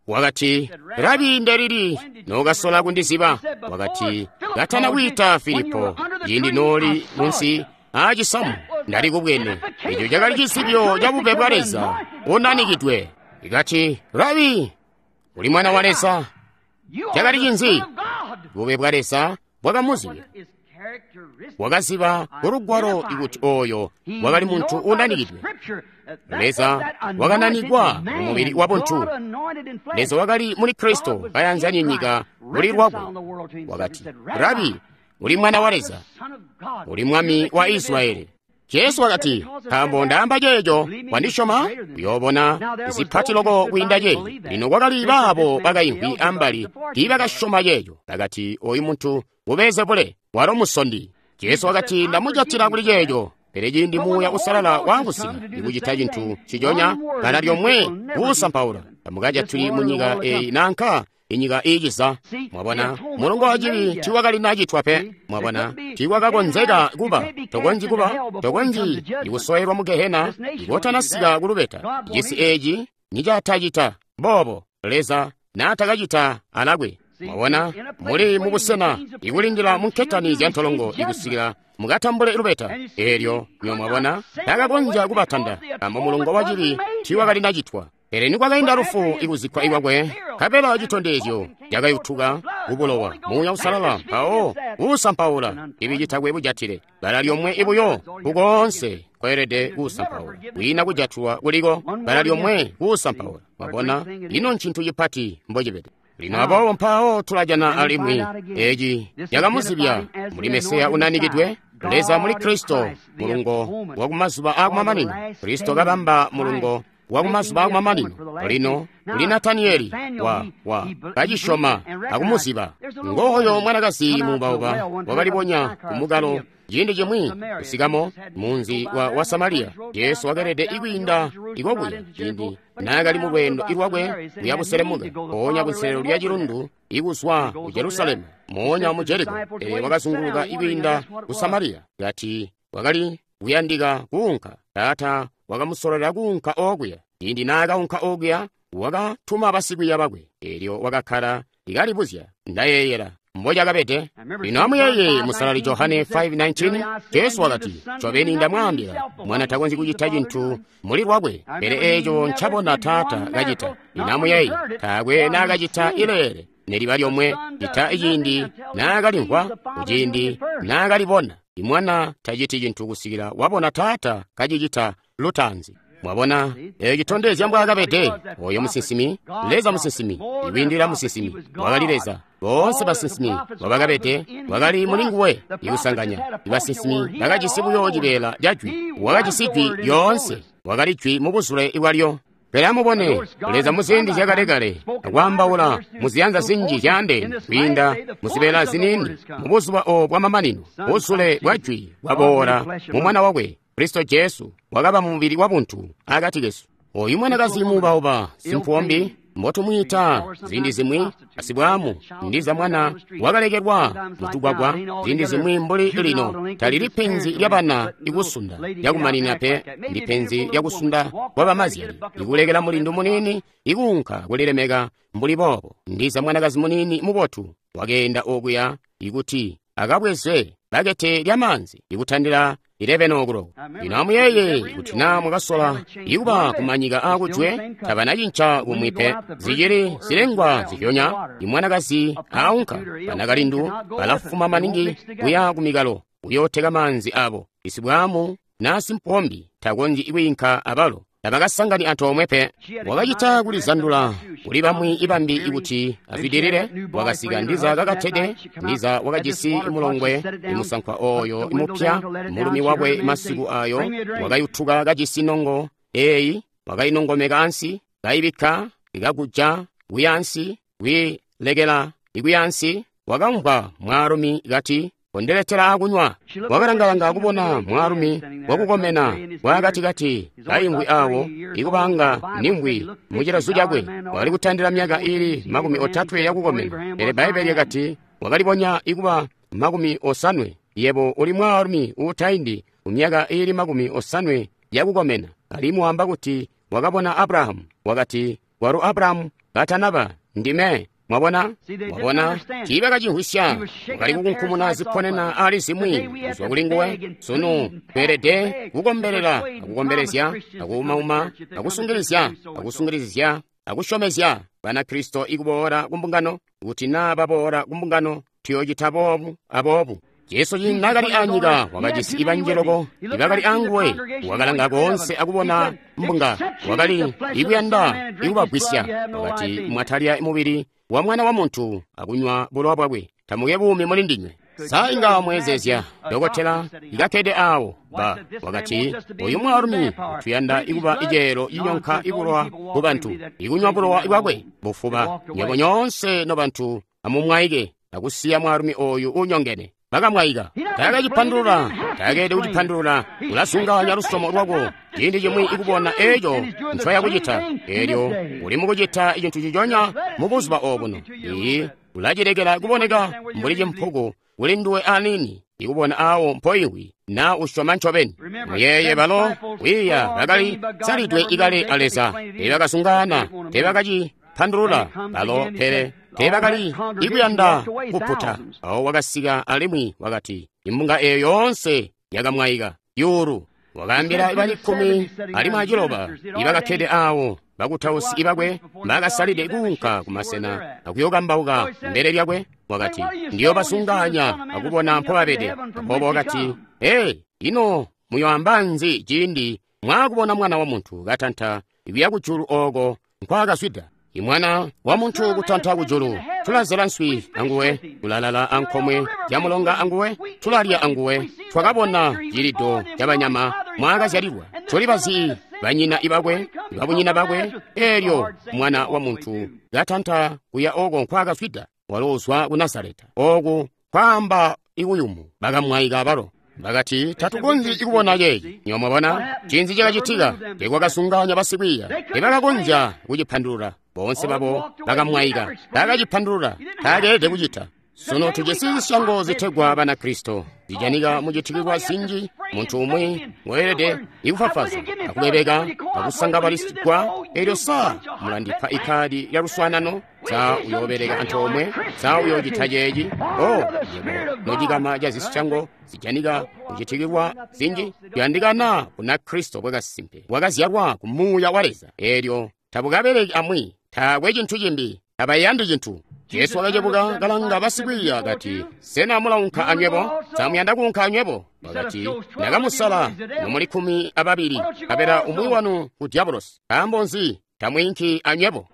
Speaker 2: Wakati, Rabi, ndelili nokasola kundiziba? Wakati, katana kwiita Filipo, ciindi nooli munsi aacisamu ndali kubwene. Eco cakali cizibyo ca bube bwa Leza unanikidwe. Ikati, Rabi, uli mwana wa Leza. Cakali cinzi? Bube bwa Leza bwakamuzibya. Wakaziba kulugwalo ikuti oyo wakali muntu unanikidwe. Leza wakananikwa mu mubili wa buntu. Leza wakali muli Kristo kayanzanye nyika kuli lwakwe. Wakati, Rabi, uli mwana wa Leza, uli mwami wa Israeli. Jesu wakati, nkaambo ndaamba ceeco, wandisyoma? Uyoobona zipati loko kwiinda ceeci. Lino kwakali baabo bakaimvwi ambali tiibakasyoma ceeco. Bakati, oyu muntu nguBeelzebule, walo musondi. Jesu wakati, ndamujatila kuli ceeco. Pele ciindi Muuya Uusalala waakusika ikucita cintu ciconya, bbala lyomwe kuusampaula, tamukajatuli mu nyika eyi nanka inyika iiciza. Mwabona, mulongo wa cibi tiiwakali nacitwa pe. Mwabona, tiiwakakonzeka kuba, tokonzyi kuba, tokonzyi ikusoyelwa mu gehena ikotanasika kulubeta. Cisi eeci nicatacita boobo, Leza naatakacita alakwe. Mwabona, muli mubusena ikulindila mu nketani zya ntolongo ikusikila mukatambule lubeta. Eelyo nyo mwabona, takakonzya kubatanda, nkaambo mulongo wa cibi tiiwakali nacitwa. Pele nikwakainda lufu ikuzikkwa ikwakwe, nkabela citondezyo cakayutuka kubulowa, Muuya Uusalala mpawo uusampaula ibi citakwe bujatile. Bbala lyomwe ibuyo kukoonse kweelede kuusampaula, kwiina kujatulwa kuliko, bbala lyomwe kuusampaula. Mwabona, ino ncintu cipati mbocibede. Lino aboobo mpawo tulajana alimwi eci cakamuzibya muli Mesiya unanikidwe, Leza muli Kristo, mulungo wakumazuba aakumamanino. Kristo kabamba mulungo wa kumazuba akumamanino. Lino kuli Nataniyeli wa kacisyoma akumuziba. Ngooyo mwanakazi muubauba wakalibonya kumukalo ciindi cimwi kusikamo munzi wa Samariya. Jesu wakelede ikwiinda ikokuya ciindi naakali mu lweendo lwakwe kuya buselemuka mpoonya kunselelo lya cilundu ikuzwa ku Jerusalemu moonya mu Jeriko. Pele wakazunguluka ikwiinda ku Samariya kati wakali kuyandika kuunka. Taata wakamusololela kuunka okuya. Ciindi naakaunka okuya wakatuma basikwiiya bakwe, eelyo wakakkala ikalibuzya. Ndayeeyela mbocakabede. Lino amuyeeye Musalali Johane 5:19, Jesu wakati, ncobeni ndamwaambila, mwana takonzyi kucita cintu muli lwakwe, pele eeco ncabona Taata kacita. Lino amuyeeye, taakwe naakacita ileele neliba lyomwe, cita iciindi naakalimvwa, kuciindi naakalibona. Imwana taciti cintu kusikila wabona Taata kacicita lutaanzi. Mwabona, eeco citondezya mbwaakabede oyo musinsimi, Leza musinsimi, ikwiindila musinsimi, wakali Leza. Boonse basinsimi mbwabakabede wakali mulinguwe ikusanganya. Ibasinsimi bakajisi buyo cibeela ca jwi, wakajisi jwi lyoonse, wakali jwi mubuzule bwalyo. Pele amubone, Leza muziindi zyakalekale akwaambaula muziyanza zinji zyaandeene kwiinda muzibeela ziniini. Mubuzuba obu bwamamanino, buzule bwa jwi bwaboola mu Mwana wakwe Kristo Jesu, wakaba mumubili wabuntu akati kesu. Oyu mwanakazi muubauba simpuwombi mbotumwiita ziindi zimwi asibwaamu, ndiza mwana wakalekelwa mutugwagwa. Ziindi zimwi mbuli lino talili penzi lyabana ikusunda lyakumanina pe, ndi penzi lyakusunda kwa bamazyali ikulekela mulindu muniini ikuunka kulilemeka mbuli boobo. Ndiza mwanakazi muniini mubotu wakeenda okuya ikuti akabweze bakete lyamaanzi ikutandila 11 o'clock. Lino amuyeeye kuti naa mwakasola ikuba kumanyika aakujwe, tabanacinca kumwi pe. Zicili zilengwa zilyonya. Imwanakazi aunka, banakalindu balafuma maningi kuya kumikalo kuyooteka maanzi abo. Isibwaamu naa simpombi takonzyi kwiinka abalo, tabakasangani antoomwe pe. Wakacita kulizandula kuli bamwi ibambi ikuti azwidilile. Wakasika ndiza kakatede, ndiza wakajisi mulongwe imusankwa oyo imupya, mulumi wakwe masiku ayo wakayutuka kajisi nongo eyi, wakainongomeka ansi, kaibikka ikakuja kuya ansi, kuilekela ikuya ansi. Wakamvwa mwaalumi kati, kondiletela akunywa. Wakalangalanga kubona mwaalumi wakukomena bwakatikati kaimvwi awo ikubanga nimvwi mucilazu cakwe. Wakali kutandila myaka iili 30 yakukomena, pele Bbaibbele lyakati wakalibonya ikuba 80. Yebo uli mwaalumi uutaindi kumyaka iili 80 yakukomena, alimwi wamba kuti wakabona Abrahamu. Wakati, kwalo Abrahamu katanaba ndime. Mwabona? Mwabona? Tiibakacimvwisya. Wakali kukunkumuna ziponena ali zimwi kuzwa kuli nguwe. Sunu tweelede kukombelela akukombelezya akuumauma akusungilizya akusungilizya akusyomezya Banakristo ikuboola kumbungano, kuti naa baboola kumbungano tuyoocita boobu aboobu. Jesu ciindi naakali anyika wakajisi ibanji loko ibakali anguwe. Wakalanga koonse akubona mbunga, wakali ikuyanda ikubagwisya. Wakati, mwatalya mubili wa Mwana wa Muntu akunywa bulowa bwakwe, tamuke buumi muli ndinywe. Sa inga mweezezya dokotela ikakkede awo ba wakati, oyu mwaalumi tuyanda ikuba iceelo cinyonka ibulowa ku bantu, ikunywa bulowa bwakwe bufuba. Nywebo nyoonse nobantu amumwaike akusiya mwaalumi oyu unyongene. Bakamwaika. Taakacipandulula, taakeelede kucipandulula. Ulasunganya lusyomo lwako ciindi cimwi ikubona eeco ncoyakucita, eelyo uli mukucita cintu ciconya mubuzuba obuno. Iyi ulacilekela kuboneka mbuli cimpuku kuli nduwe aniini ikubona awo mpoiwi naa usyoma ncobeni. Muyeeye balo kwiiya bakali salidwe ikale a Leza, teebakasungana, teebakacipandulula balo, pele teebakali ikuyanda kuputa. Awo wakasika alimwi wakati, imbunga eyo yoonse yakamwaika yuulu. Wakaambila bali 19 ibakakkede awo bakutausi ibakwe bakasalide kuunka kumasena akuyokambauka mbele lyakwe. Wakati, ndiyobasunganya akubona mpobabede. Aboobo wakati, ee, ino muyoamba nzi ciindi mwaakubona Mwana wa Muntu katanta ikuya kujulu oko nkwaakazwida? Imwana wa Muntu kutanta kujulu, tulazela nswi anguwe, tulalala ankomwe yamulonga anguwe, tulalya anguwe. Twakabona cilido cabanyama mwaakazyalilwa, tuli bazi Banyina ibakwe, babunyina bakwe, elyo mwana wa muntu katanta kuya oko nkwaakazwida, walo uzwa ku Nazareta. Oku kwaamba ikuyumu, bakamwaika balo. Bakati, tatukonzyi kubona ceeci. Nywebo mwabona cinzi cakacitika? Teekwakasunganya basikwiiya, teebakakonzya kucipandulula. Boonse babo bakamwaika, taakacipandulula, taakeelede kucita. Sunu tujisi zisyango zitegwa Banakristo zijanika mucitikilwa zinji. Muntu umwi weelede ikufafaza akubebeka akusangabalisigwa. Elyo sa mulandipa ikadi lya luswaanano? Sa uyoobeleka antoomwe? Sa uyoocita ceeci? O yebo nocikama ca zisyango zijanika mucitikilwa zinji, tuyandikana Bunakristo bwakasimpe bwakazyalwa ku Muuya wa Leza. Elyo tabukabeleki amwi, taakwe cintu cimbi, tabayandi cintu. Jesu wakacebuka kalanga basikwiiya kati, sena mulaunka anywebo? Sa muyanda kuunka anywebo? Wakati, ndakamusala nomuli 12, nkabela umwi wanu ku Diabolosi. Nkaambo nzi tamwiinki anywebo?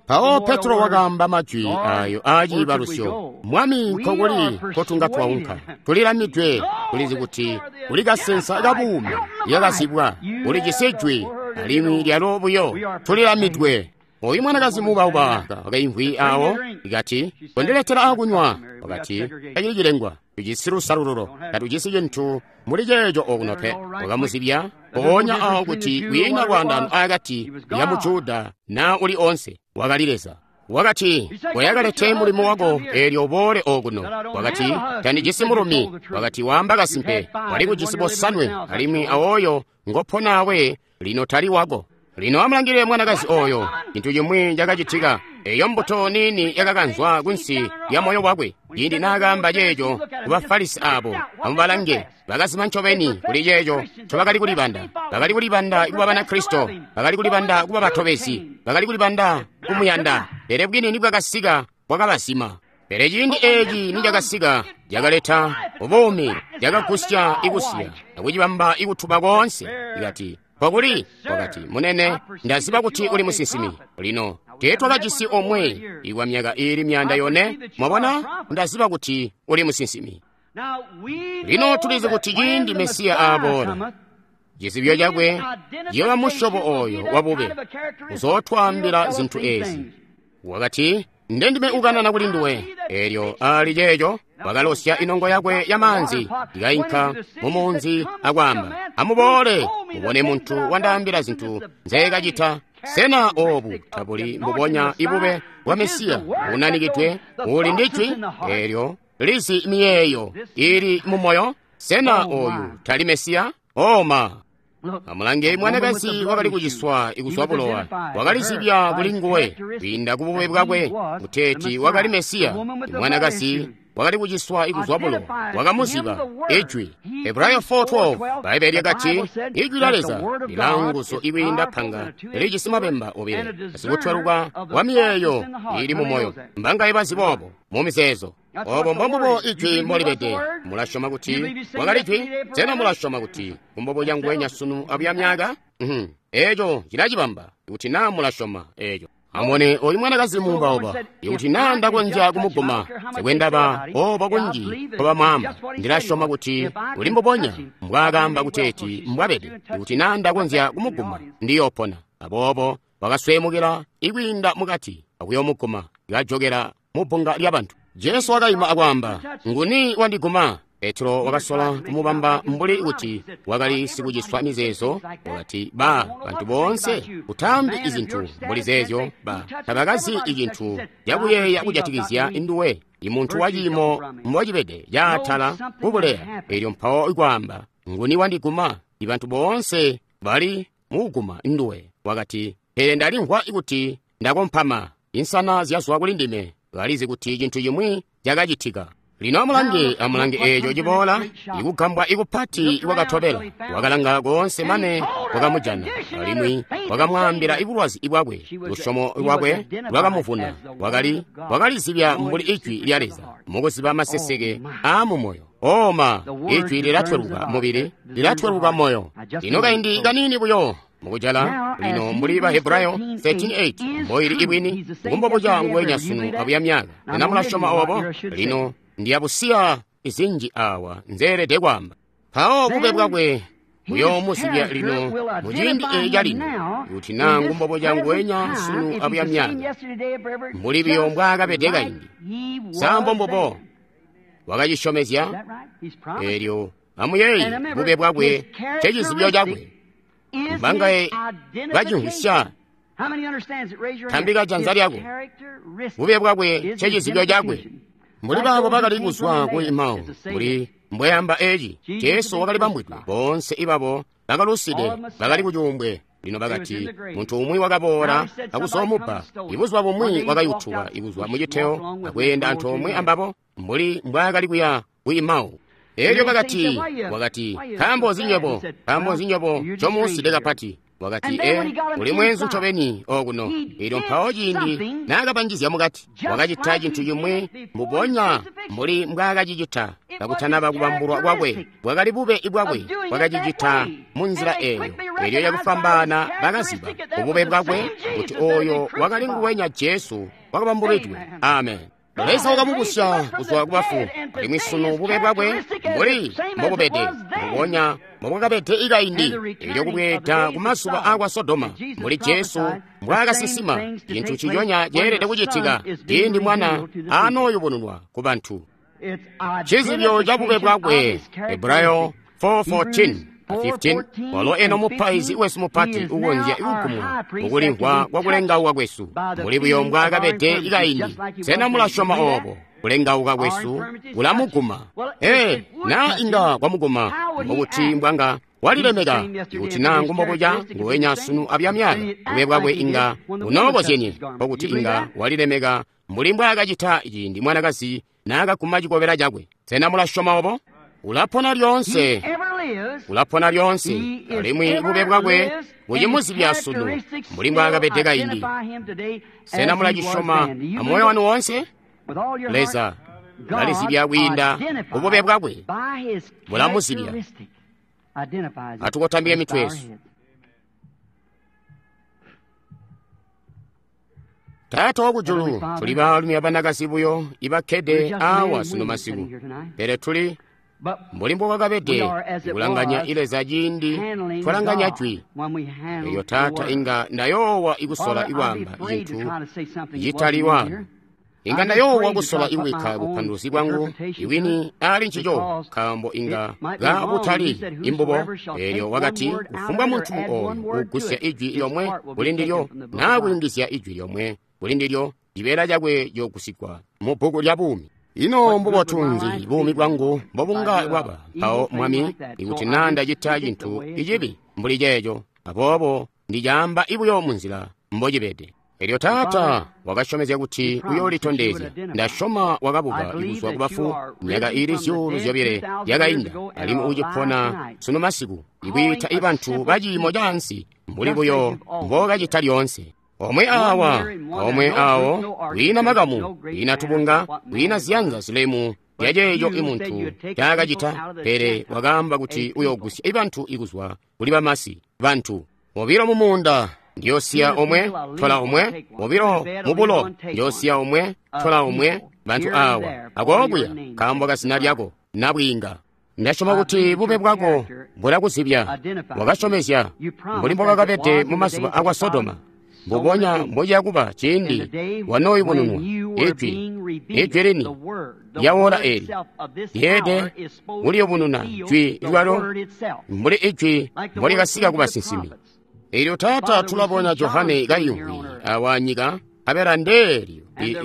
Speaker 2: Mpawo Petro wakaamba majwi ayo aaciibalusyo, Mwami, nkokuli nkotunga twaunka? Tulilamidwe, tulizi kuti kuli kasensa kabuumi lyakazibwa, ulijisi jwi alimwi lyalo buyo. Tulilamidwe. Oyu mwanakazi muubauba wakaimvwi awo, ikati, kondiletela akunywa. Wakati, tacili cilengwa, tujisi lusalululo, tatujisi cintu muli ceeco okuno pe. Wakamuzibya mpoonya awo kuti kwiina lwaandano akati ya Mujuda na uli onse, wakali Leza. Wakati, koyakalete mulimo wako eelyo uboole okuno. Wakati, tandijisi mulumi. Wakati, waamba kasimpe, wali kujisi bosanwe, alimwi awoyo ngoponaawe lino tali wako. Lino amulangilile mwanakazi oyo, cintu cimwi cakacitika. Eyo mbuto niini yakakanzwa kunsi lya moyo wakwe. Ciindi naakaamba ceeco ku Bafarisi abo, amubalange, bakazima ncobeni kuli ceeco ncobakali kulibanda. Bakali kulibanda kuba Banakristo, bakali kulibanda kuba batobezi, bakali kulibanda kumuyanda. Pele bwini nibwakasika, bwakabazima. Pele ciindi eeci nicakasika, cakaleta buumi, cakagusya ikusiya, akucibamba ikutuba koonse. Ikati, Pokuli, wakati, munene, ndaziba kuti uli musinsimi. Lino, teetwakajisi omwe ikwa myaka iili 400. Mwabona, ndaziba kuti uli musinsimi. Lino tulizi kuti ciindi Mesiya aaboola, cizibyo cakwe ciyooba musyobo oyo wabube, uzootwaambila zintu ezi. Wakati, ndendime ukanana kuli nduwe. Elyo ali ceeco wakalosya inongo yakwe ya maanzi ikainka mumunzi akwaamba, amuboole mubone muntu wandaambila zintu nzeekacita. Sena obu tabuli mbubonya ibube bwa Mesiya unanikidwe uli ndi jwi elyo lizi miyeeyo ili mumoyo? Sena oyu tali Mesiya? Oma! Amulange mwanakazi wakali kuciswa ikuzwa bulowa, wakalizibya kuli nguwe kwiinda kubube bwakwe kuteeti wakali Mesiya. Mwanakazi wakali kuciswa ikuzwa bulowa wakamuziba ijwi. Hebrayo 4:12 Baibulo lyakati, ijwi lya Leza lilaanguzu ikwiinda panga lijisi mabemba obile, asikutweluka wa miyeeyo ili mumoyo. Mbangaye bazi boobo mu mizeezo? Obo mbombubo ijwi mbolibede. Mulasyoma kuti wakali jwi? Sena mulasyoma kuti kumbobo yanguwenya sunu abuya myaka? Eeco cilacibamba kuti naa mulasyoma eeco. Amubone oyu mwanakazi muubauba, ikuti naa ndakonzya kumuguma, sikwendaba obo kunji nkobamwaamba, ndilasyoma kuti uli mbubonya mbwaakaamba kuteeti mbwabede. Ikuti naa ndakonzya kumuguma, ndiyoopona. Aboobo wakasweemukila ikwiinda mukati akuyoomuguma, kajokela mubbunga lyabantu. Jesu wakaima akwaamba, nguni wandiguma? Petro wakasola kumubamba mbuli kuti wakali sikuciswa mizeezo. Wakati, ba bantu boonse utaambi izintu mbuli zeezyo, ba tabakazi icintu cakuyeeya kujatikizya nduwe, imuntu waciimo mbocibede caatala kubuleya. Elyo mpawo ikwaamba, nguni wandiguma? Ibantu boonse bali mukuguma nduwe. Wakati, pele ndalimvwa kuti ndakompama, insana zyazwa kuli ndime. Balizi kuti cintu cimwi cakacitika. Lino amulange, amulange eeco ciboola, ikugambwa ikupati kwakatobela. Wakalanga koonse mane wakamujana, alimwi wakamwaambila ibulwazi bwakwe. Lusyomo lwakwe lwakamuvuna. Wakalizibya mbuli ijwi lya Leza mukuziba maseseke aamumoyo. Oma, ijwi lilatweluka mubili, lilatweluka moyo. Lino kaindi kaniini buyo mukujala lino mbuli ba Hebrayo 13:8 mboili ibwini kumbobuca nguwenya sunu abuya myaka. Ena mulasyoma obo? Lino ndiyabusiya izinji awa nzeelede kwaamba. Mpawo bube bwakwe Uyoomuzibya lino muciindi eeci calino, kuti naa ngumbobo nguwenya sunu abuya myaaka, mbuli biyo mbwaakabede kaindi. Sa mbombubo? Wakacisyomezya. Eelyo amuyeeye bube bwakwe ncecizibyo cakwe. Mbangaye bacimvwisya? Tambika janza lyako. Bube bwakwe ncecizibyo cakwe. Mbuli baabo bakali kuzwa ku Emau, mbuli mbweyamba eci, Jesu wakali bambwidwe. Boonse ibabo bakaluside bakali kucuumbwe. Lino bakati, muntu umwi wakaboola akuzoomupa. Ibuzuba bumwi wakayutuka ikuzwa muciteo akweenda antoomwe ambabo mbuli mbwaakali kuya ku Emau. Elyo bakati, wakati, nkaambo nzi nywebo, nkaambo nzi nywebo ncomuuside kapati? Wakati, e, uli mweenzu ncobeni okuno. Elyo mpawo ciindi naakabanjizya mukati, wakacita cintu cimwi mbubonya mbuli mbwaakacicita kakutanaba kubambulwa kwakwe. Bwakali bube bwakwe, wakacicita munzila eeyo. Elyo yakufwambaana bakaziba ubube bwakwe kuti oyo wakali nguwenya Jesu wakabambulwidwe. Amen. Leza wakamubusya kuzwa kubafu, alimwi sunu bube bwakwe mbuli mbobubede, mbubonya mbobwakabede ikaindi. Elyo kubweeda ku mazuba aakwa Sodoma, mbuli Jesu mbwaakasinsima, cintu ciconya ceelede kucitika ciindi Mwana aanooyubununwa ku bantu. Cizibyo ca bube bwakwe, Hebrayo 4:14-15, walo eno mupaizi wesu mupati ukonzya kugumwa mukulimvwa kwa kulengauka kwesu, mbuli buyo mbwaakabede ikaindi. Sena mulasyoma oobo? Kulengauka kwesu kulamuguma. Ee, naa inga kwamuguma, mbokuti mbwanga walilemeka. Ikuti naa ngumbobuca nguwenya sunu abuya myaaka, bube bwakwe inga bunookozyenye, mbokuti inga walilemeka mbuli mbwaakacita ciindi mwanakazi naakaguma cikobela cakwe. Sena mulasyoma oobo? Ulapona lyoonse, ulapona lyoonse, alimwi bube bwakwe bucimuzibya sunu mbuli mbwaakabede kaindi. Sena mulacisyoma amoyo wanu woonse? Leza ulalizibya kwiinda kubube bwakwe, bulamuzibya. Atukotambike mitwe yesu. Taata wakujulu, tuli baalumi abanakazi buyo ibakkede awa sunu masiku, pele tuli mbuli mbobwakabede kulanganya Leza ciindi twalanganya jwi. Elyo Taata, inga ndayoowa ikusola ikwaamba cintu citali waano. Inga ndayoowa kusola ikubikka bupanduluzi bwangu iwini ali ncico, nkaambo inga kabutali imbubo. Elyo wakati, kufumbwa muntu ooyu ugusya ijwi lyomwe kuli ndilyo, naa kuyungizya ijwi lyomwe kuli ndilyo, cibeela cakwe ciyoogusigwa mu bbuku lya buumi. Ino mbubotu nzi buumi bwangu mbobunga bwaba mpawo, Mwami, ikuti naa ndacita cintu icibi mbuli ceeco? Aboobo ndicaamba ibuyo munzila mbocibede. Elyo Taata wakasyomezya kuti uyoolitondezya. Ndasyoma wakabuka kuzwa kubafu myaka iili 2,000 yakainda, alimwi ucipona sunu masiku, ikwiita ibantu baciimo caansi mbuli buyo mbookacita lyoonse. Omwe awa, omwe awo, kwiina makamu, kwiina tubunga, kwiina ziyanza zilemu lyaceeco imuntu ncaakacita, pele wakaamba kuti uyoogusya ibantu ikuzwa kuli bamasi. Bantu bobilo mumuunda, ndiyosiya omwe, tola omwe, bobilo mubulo, ndiyosiya omwe, tola omwe. Bantu awa akookuya nkaambo kazina lyako nabwiinga. Ndasyoma kuti bube bwako bulakuzibya. Wakasyomezya mbuli mbobwakabede mu mazuba akwa Sodoma, mbubonya mbociyakuba ciindi wanooyubununwa ijwi, ijwi lini lyawola eli lyeede kuliyubununa jwi lwalo mbuli ijwi mbolikasika ku basinsimi. Elyo Taata, tulabona Johane kayimvwi awa nyika, abela ndeelyo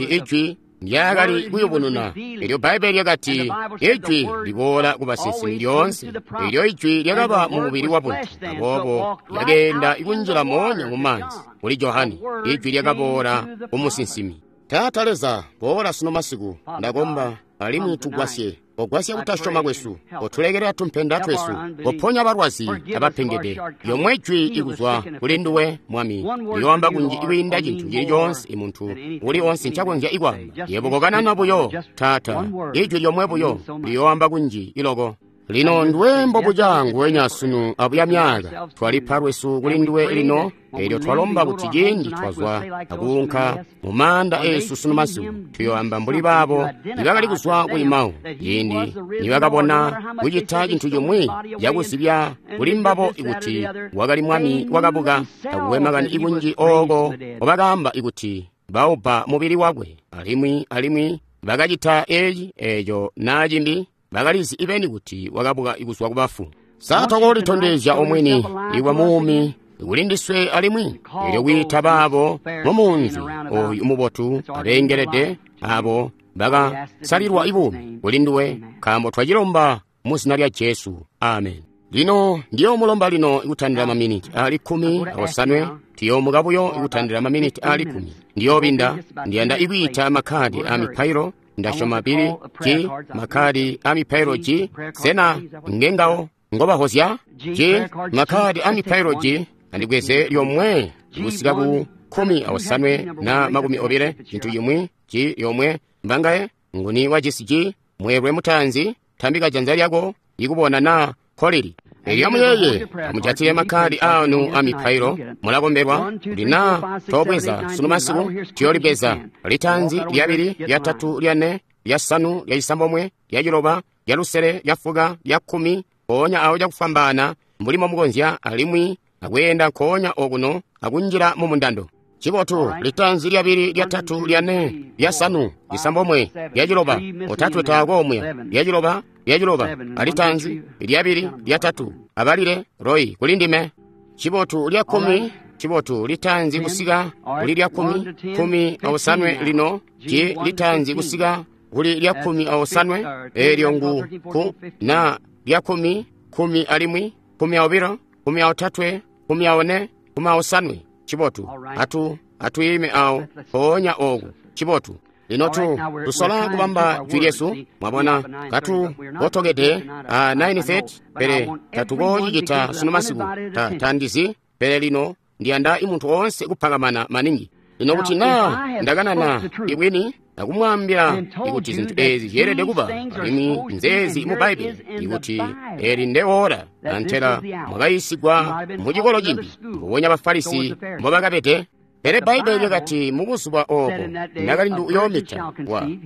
Speaker 2: ijwi ndyaakali kuyubununa. Elyo Bbaibbele lyakati ijwi liboola ku basinsimi lyoonse. Elyo ijwi lyakaba mu mubili wa buntu, aboobo lyakeenda ikunjila moonya mu maanzi kuli Johane. Ijwi lyakaboola ku musinsimi. Taata Leza, boola sunu masiku, ndakomba, alimwi tugwasye. Ogwasya kutasyoma kwesu, otulekelela tumpenda twesu, oponya balwazi abapengede. Yomwe jwi ikuzwa kuli nduwe, Mwami, liyoamba kunji ikwiinda cintu cili coonse imuntu uli onse ncakonzya ikwaamba. Yebo kokanana buyo, Taata, ijwi lyomwe buyo liyoamba kunji iloko. Lino nduwe mbobuca nguwenya sunu abuya myaka. Twalipa lwesu kuli nduwe lino, elyo twalomba kuti ciindi twazwa akuunka mu maanda eesu sunu masiku, tuyoamba mbuli baabo nibakali kuzwa ku Emau, ciindi nibakabona kucita cintu cimwi cakuzibya kuli mbabo ikuti wakali Mwami wakabuka. Takuwe makani ikunji ooko obakaamba ikuti baubba mubili wakwe, alimwi bakacita eci eeco naa cimbi. Bakalizi ibeni kuti wakabuka kuzwa kubafu. Sa tokoolitondezya omwini iwa muumi kuli ndiswe alimwi? Elyo kwiita baabo mu munzi oyu mubotu abeengelede abo bakasalilwa ibuumi kuli nduwe, nkaambo twacilomba mu zina lya Jesu. Amen. Lino ndiyoomulomba lino kutandila maminiti ali 17. Tuyoomuka buyo kutandila maminiti ali 10. Ndiyoobinda, ndiyanda ikwiita makhadi a mipailo. Ndasyoma pili G, makhadi a mipailo G. Sena ngengawo ngobahozya? G, makhadi a mipailo G. Andibweze lyomwe kusika ku 15 na 20, cintu cimwi G lyomwe. Mbangaye nguni wajisi G? Mweelwe mutaanzi, tambika janza lyako ikubona na kolili. Elyo muyeye amujatile makhadi anu a mipailo. Mulakombelwa kuti naa tobweza sunu masiku, tuyoolibweza litanzi, lyabili, lyatatu, lyane, lyasanu, lyacisambomwe, lyaciloba, lyalusele, lyafuka, lyakkumi, mpoonya awo cakufwambaana mbuli momukonzya, alimwi akweenda nkoonya okuno akunjila mu mundando. Cibotu, litanzi, lyabili, lyatatu, lyane, lyasanu, lisambomwe, lyaciloba, otatwe taakwe lyaciloba, lyaciloba, alitanzi, lyabili, lyatatu, abalile, Roy, kuli ndime. Cibotu, lyakkumi, cibotu, litanzi kusika kuli lyakkumi, 15 lino, ci litanzi kusika kuli lyakkumi aosanwe, eelyo ngu ku na lyakkumi, 10 alimwi, 12, 13, 14, 15. Cibotu, atuyime awo mpoonya oku. Cibotu. Lino tusola kubamba jwi lyesu, mwabona, katu otokede a 9:30, pele tatukocicita sunu masiku. Tandizi, pele lino ndiyanda imuntu oonse kupakamana maningi. Lino kuti naa ndakanana ibwini akumwaambila ikuti zintu ezi zyeelede kuba, alimwi nzeezi mu Bbaibili, ikuti eli ndeola, antela mwakayiisigwa mu cikolo cimbi, mbubonya Bafarisi mbobakabede. Pele Bbaibili lyakati mu buzuba obo nakalindu uyoomita,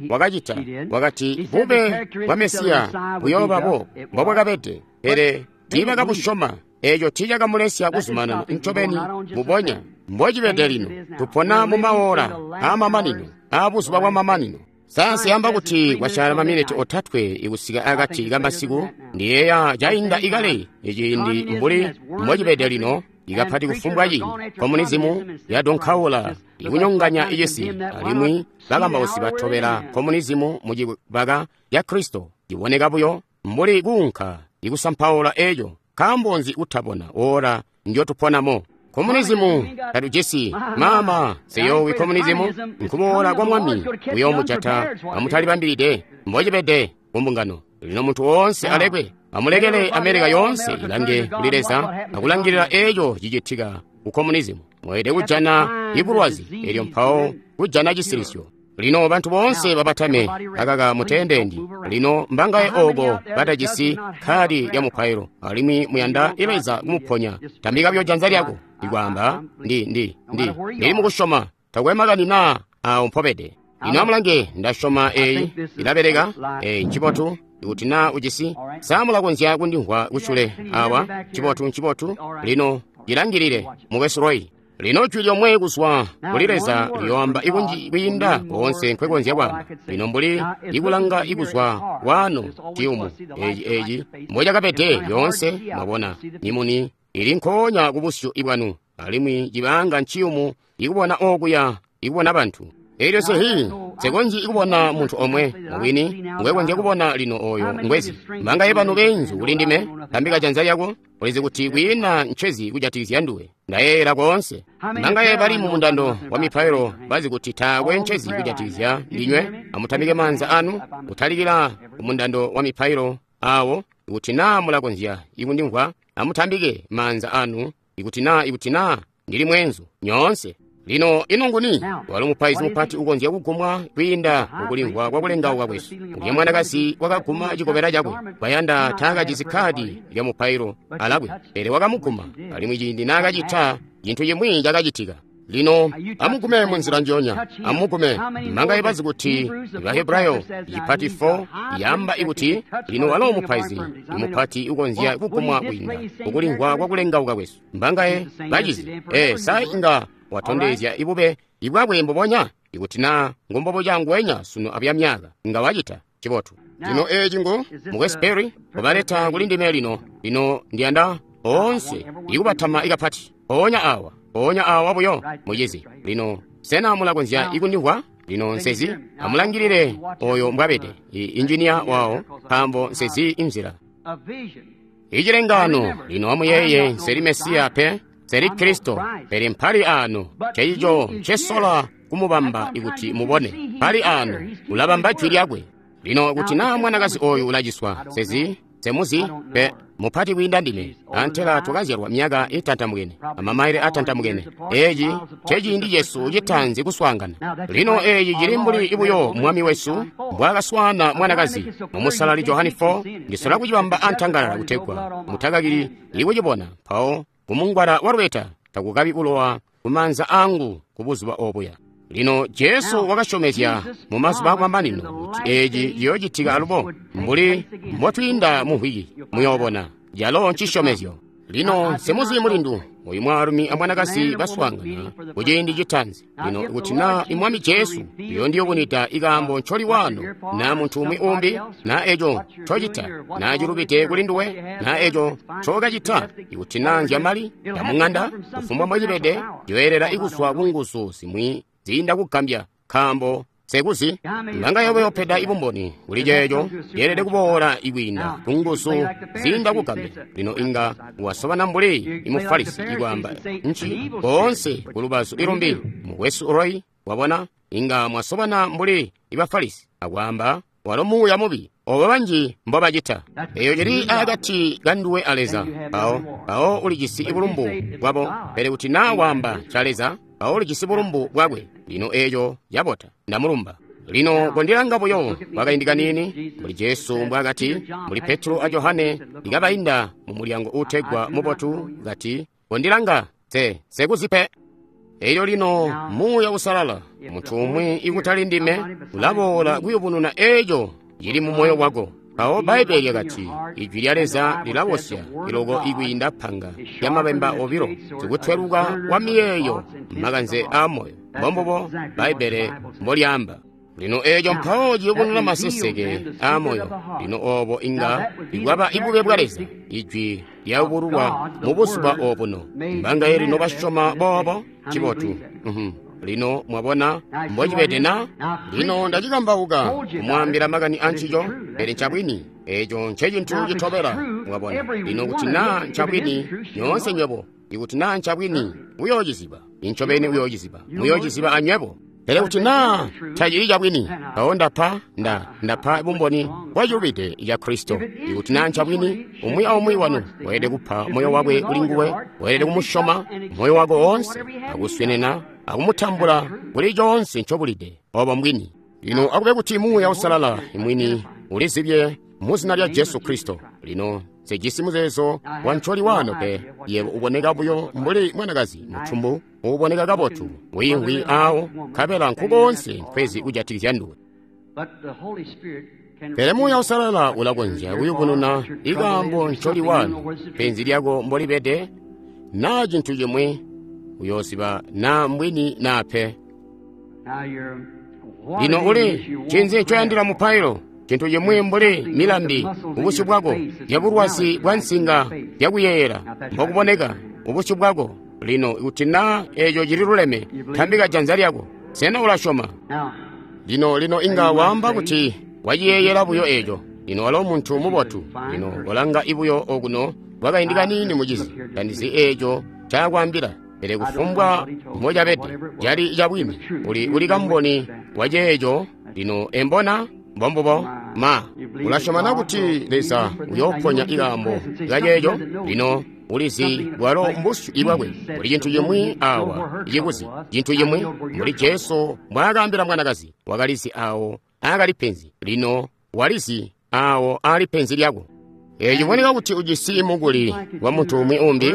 Speaker 2: wakacita, wakati bube bwa Mesiya buyooba bo mbobwakabede, pele tiibakabusyoma. Eeco tiicakamulesya kuzumanana ncobeni mbubonya mbocibede lino. Tupona mu maola aamamanino, aabuzuba bwamamanino. Sayansi yamba kuti kwasyala maminiti 3 ikusika akati kamasiku. Ndiyeeya cainda ikale iciindi mbuli mbocibede lino, ikapati kufumbwa ciindi komunizimu yadonkaula ikunyonganya icisi, alimwi bakambausi batobela komunizimu mucibaka ca Kristo. Ciboneka buyo mbuli kuunka ikusampaula eeco. Nkaambo nzi kutabona ora ndyotuponamo? Komunizimu tatujisi mama seyowi. Komunizimu nkuboola kwa Mwami uyoomujata amutalibambilide mbocibede kumbungano. Lino muntu woonse alekwe, amulekele Amerika yoonse ilange kuli Leza akulangilila eeco cicitika ku komunizimu. Mweelede kujana ibulwazi elyo mpawo kujana cisilisyo. Lino bantu boonse babatame akaka muteendendi. Lino mbangaye ooko batajisi khadi lya mupailo, alimwi muyanda Leza kumuponya, tambika buyo janza lyako ikwaamba ndili mukusyoma, takwe makani naa awo mpobede. Lino amulange, ndasyoma eyi ilabeleka, eyi ncibotu. Ikuti naa ujisi, sa mulakonzya kundimvwa kusyule awa? Ncibotu, ncibotu. Lino cilangilile, mukwesu Roy. Lino jwi lyomwe kuzwa kuli Leza liyoamba ikunji kwiinda koonse nkwekonzya kwaamba. Lino mbuli ikulanga ikuzwa waano ciyumu eci mbocakabede lyoonse, mwabona, mimuni ili nkoonya kubusyu bwanu, alimwi cibanga nciyumu ikubona okuya, ikubona bantu. Elyo sehi nsekonzyi ikubona muntu omwe mubwini ngwekonzya kubona lino oyo ngwezi. Mbangaye banu beenzu kuli ndime, tambika janza lyako, ulizi kuti kwiina ncezi kujatikizya nduwe. Ndayeeyela koonse. Mbangaye bali mu mundando wa mipailo bazi kuti taakwe ncezi kujatikizya ndinywe, amutambike maanza anu kutalikila ku mundando wa mipailo awo. Ikuti naa mulakonzya ikundimvwa, amutambike maanza anu. Ikuti naa ndili mweenzu nyoonse. Lino ino nguni walo mupaizi mupati ukonzya kugumwa kwiinda mukulimvwa kwa kulengauka kwesu? Ulya mwanakazi wakaguma cikobela cakwe, bayanda taakajisi kkaadi lya mupailo alakwe, pele wakamuguma, alimwi ciindi naakacita, cintu cimwi cakacitika. Lino amugume munzila njonya, amugume. Manga ibazi kuti Bahebrayo ipati 4 yamba ikuti lino walo mupaizi mupati ukonzya kugumwa kwiinda mukulimvwa kwa kulengauka kwesu. Mbangaye bacizi sa inga watondezya ibube ibwakwe mbubonya ikuti naa ngombobo ngwenya sunu abya myaka inga wacita cibotu. Lino eeci ngu Mukwesu Perry wabaleta kuli ndime lino. Lino ndiyanda oonse ikubatama ikapati mpoonya awa, mpoonya awa buyo mucizi. Lino sena mulakonzya ikundimvwa? Lino nsezi amulangilile oyo mbwabede injinia wawo, nkaambo nsezi inzila icilengano. Lino amuyeeye, nseli Mesiya pe, nseli Kristo, pele mpali ano ceico ncesola kumubamba ikuti mubone. Mpali ano ulabamba jwi lyakwe. Lino kuti naa mwanakazi oyu ulaciswa, sezi semuzi pe, mupati kwiinda ndime, antela twakazyalwa myaka itantamukene amamaile atantamukene. Eeci nceciindi cesu citaanzi kuswaangana. Lino eeci cili mbuli ibuyo mwami wesu mbwaakaswaana mwanakazi mu Musalali Johani 4. Ndisola kucibamba antangalala kutegwa mutakakili ikucibona. Mpawo kumungwala wa lubeta takukabi kulowa kumaanza angu kubuzuba obuya. Lino Jesu wakasyomezya mu mazuba akumamanino kuti eeci ciyoocitika alubo, mbuli mbotwiinda mu mvwiki muyoobona, calo ncisyomezyo. Lino nsemuzi mulindu oyu mwaalumi amwanakazi baswaangana kuciindi citaanzi. Lino kuti naa imwami Jesu uyondiyubunwida ikaambo ncoli wano, naa muntu umwi umbi, naa eco ncocita, naa cilubide kuli nduwe, naa eco ncokacita, ikuti naa nzyamali yamung'anda, kufumbwa mbocibede, ciyoyelela ikuzwa ku nguzu zimwi ziinda kugambya, nkaambo sekuzi mbanga yobe yopeda ibumboni kuli ceeco yeelede kuboola ikwiinda ku nguzu ziinda kugambya. Lino inga wasobana mbuli imufarisi ikwaamba nci koonse ku lubazu ilumbi. Mukwesu Roy, wabona, inga mwasobana mbuli ibafarisi akwaamba walo muuya mubi, obo banji mbobacita. Eyo cili akati kanduwe a Leza, mpawo ulijisi ibulumbu bwabo. Pele kuti naa waamba ca Leza, mpawo ulijisi bulumbu bwakwe. Lino eeco cabota, ndamulumba. Lino kondilanga buyo kwakaindi kaniini, mbuli Jesu mbwaakati, mbuli Petro a Johane ikabainda mu mulyango uutegwa Mubotu, kati, kondilanga, sekuzipe. Elyo lino Muuya Usalala, muntu umwi ikutali ndime, ulaboola kuyubununa eeco cili mu moyo wako. Mpawo Bbaibele lyakati, Ijwi lya Leza lilabosya iloko ikwiinda panga lyamabemba obilo, sikutweluka wa miyeeyo makanze aa moyo. Mbombubo Bbaibele mbolyaamba. Lino eeco mpawo ciyubununa maseseke aa moyo. Lino oobo inga ikwaba ibube bwa Leza, Ijwi lyayubululwa mu buzuba obuno. Mbangaye lino basyoma boobo? Cibotu. Lino mwabona mbocibede na? Lino ndacikambauka kumwaambila makani ancico, pele ncabwini. Eeco ncecintu citobela, mwabona. Lino kuti naa ncabwini, nyoonse nywebo, ikuti naa ncabwini, uyoociziba. Incobeni uyoociziba. Muyoociziba anywebo. Pele kuti naa tacili cabwini, mpawo ndapa bumboni bwacilubide ca Kristo. Ikuti naa ncabwini, umwi aumwi wanu weelede kupa moyo wakwe kuli nguwe, weelede kumusyoma moyo wako woonse, akuswenena akumutambula kuli coonse ncobulide. Obo mbwini. Lino akube kuti Muuya Usalala imwini ulizibye mu zina lya Jesu Kristo. Lino sejisi muzeezo wa ncoli wano pe. Yebo uboneka buyo mbuli mwanakazi mutumbu uuboneka kabotu, wiimvwi awo, nkabela nkukoonse nkwezi kujatikizya nduwe. Pele Muuya Usalala ulakonzya kuyubununa ikaambo ncoli wano, penzi lyako mbolibede, naa cintu cimwi, uyoosiba naa mbwini naa pe. Lino uli ncinzi ncoyandila mupailo? Cintu cimwi mbuli milambi ubusyu bwako, yabulwazi bwa nsinga yakuyeeyela mbokuboneka ubusyu bwako. Lino kuti naa eeco cililuleme, tambika janza lyako. Sena ulasyoma? Lino inga waamba kuti waciyeeyela buyo eeco. Lino walo muntu mubotu. Lino kolanga ibuyo okuno kwakaindi kaniini mucizi. Tandizi eeco ncaakwaambila, pele kufumbwa mbocabede cali cabwini. Uli kamboni waceeco. Lino embona mbombubo ma ulasyoma na kuti Leza uyooponya ikaambo kaceeco? Lino Ulizi bwalo mbusyu bwakwe. Kuli cintu cimwi awa cikuzi, cintu cimwi mbuli Jesu mbwaakaambila mwanakazi, wakalizi awo aakali penzi. Lino walizi awo aali penzi lyako. Ciboneka kuti ujisi mukuli wa muntu umwi umbi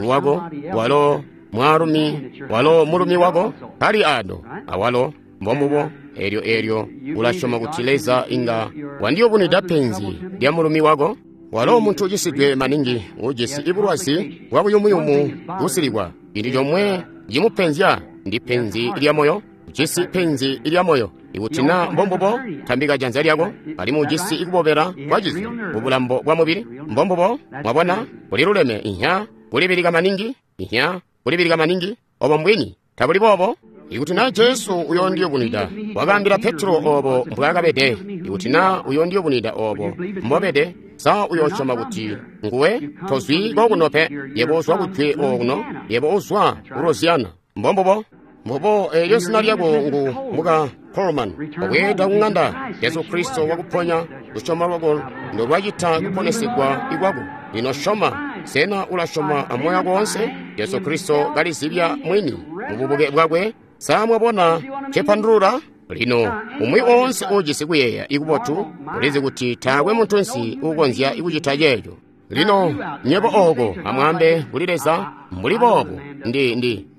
Speaker 2: wako, walo mwaalumi, walo mulumi wako kali ano awalo mbombubo. Eelyo ulasyoma kuti Leza inga wandiyubunwida penzi lya mulumi wako. Walo muntu ucisidwe maningi, ujisi bulwazi bwa buyumuyumu busilikwa. Cintu comwe cimupenzya ndi penzi lya moyo. Ujisi penzi lya moyo. Ikuti na mbombubo, tambika janza lyako. Alimwi ujisi kubobela kwacizo kubulambo bwa mubili. Mbombubo, mwabona, kuliluleme. Inya kulibilika maningi, inya kulibilika maningi. Obo mbwini, tabuli boobo? Ikuti na Jesu uyondiyubunwida, wakaambila Petro obo mbwaakabede. Ikuti na uyondiyubunwida obo mbobede, sa uyosyoma kuti nguwe? Tozwi kokuno pe, yebo uzwa kujwe okuno, yebo uzwa ku Louisiana. Mbombubo. Mbobo, eelyo zina lyako ngu muka Coleman. Obweeda kung'anda, Jesu Kristo wakuponya. Lusyoma lwako ndolwacita kuponesegwa ikwako. Lino syoma. Sena ulasyoma amoyo wako wonse? Jesu Kristo kalizibya mwini mububuke bwakwe. Sa mwabona cepandulula? Lino umwi oonse uujisi kuyeeya ikubotu ulizi kuti taakwe muntunsi uukonzya kucita ceeco. Lino nyebo ooko amwaambe kuli Leza mbuli boobu,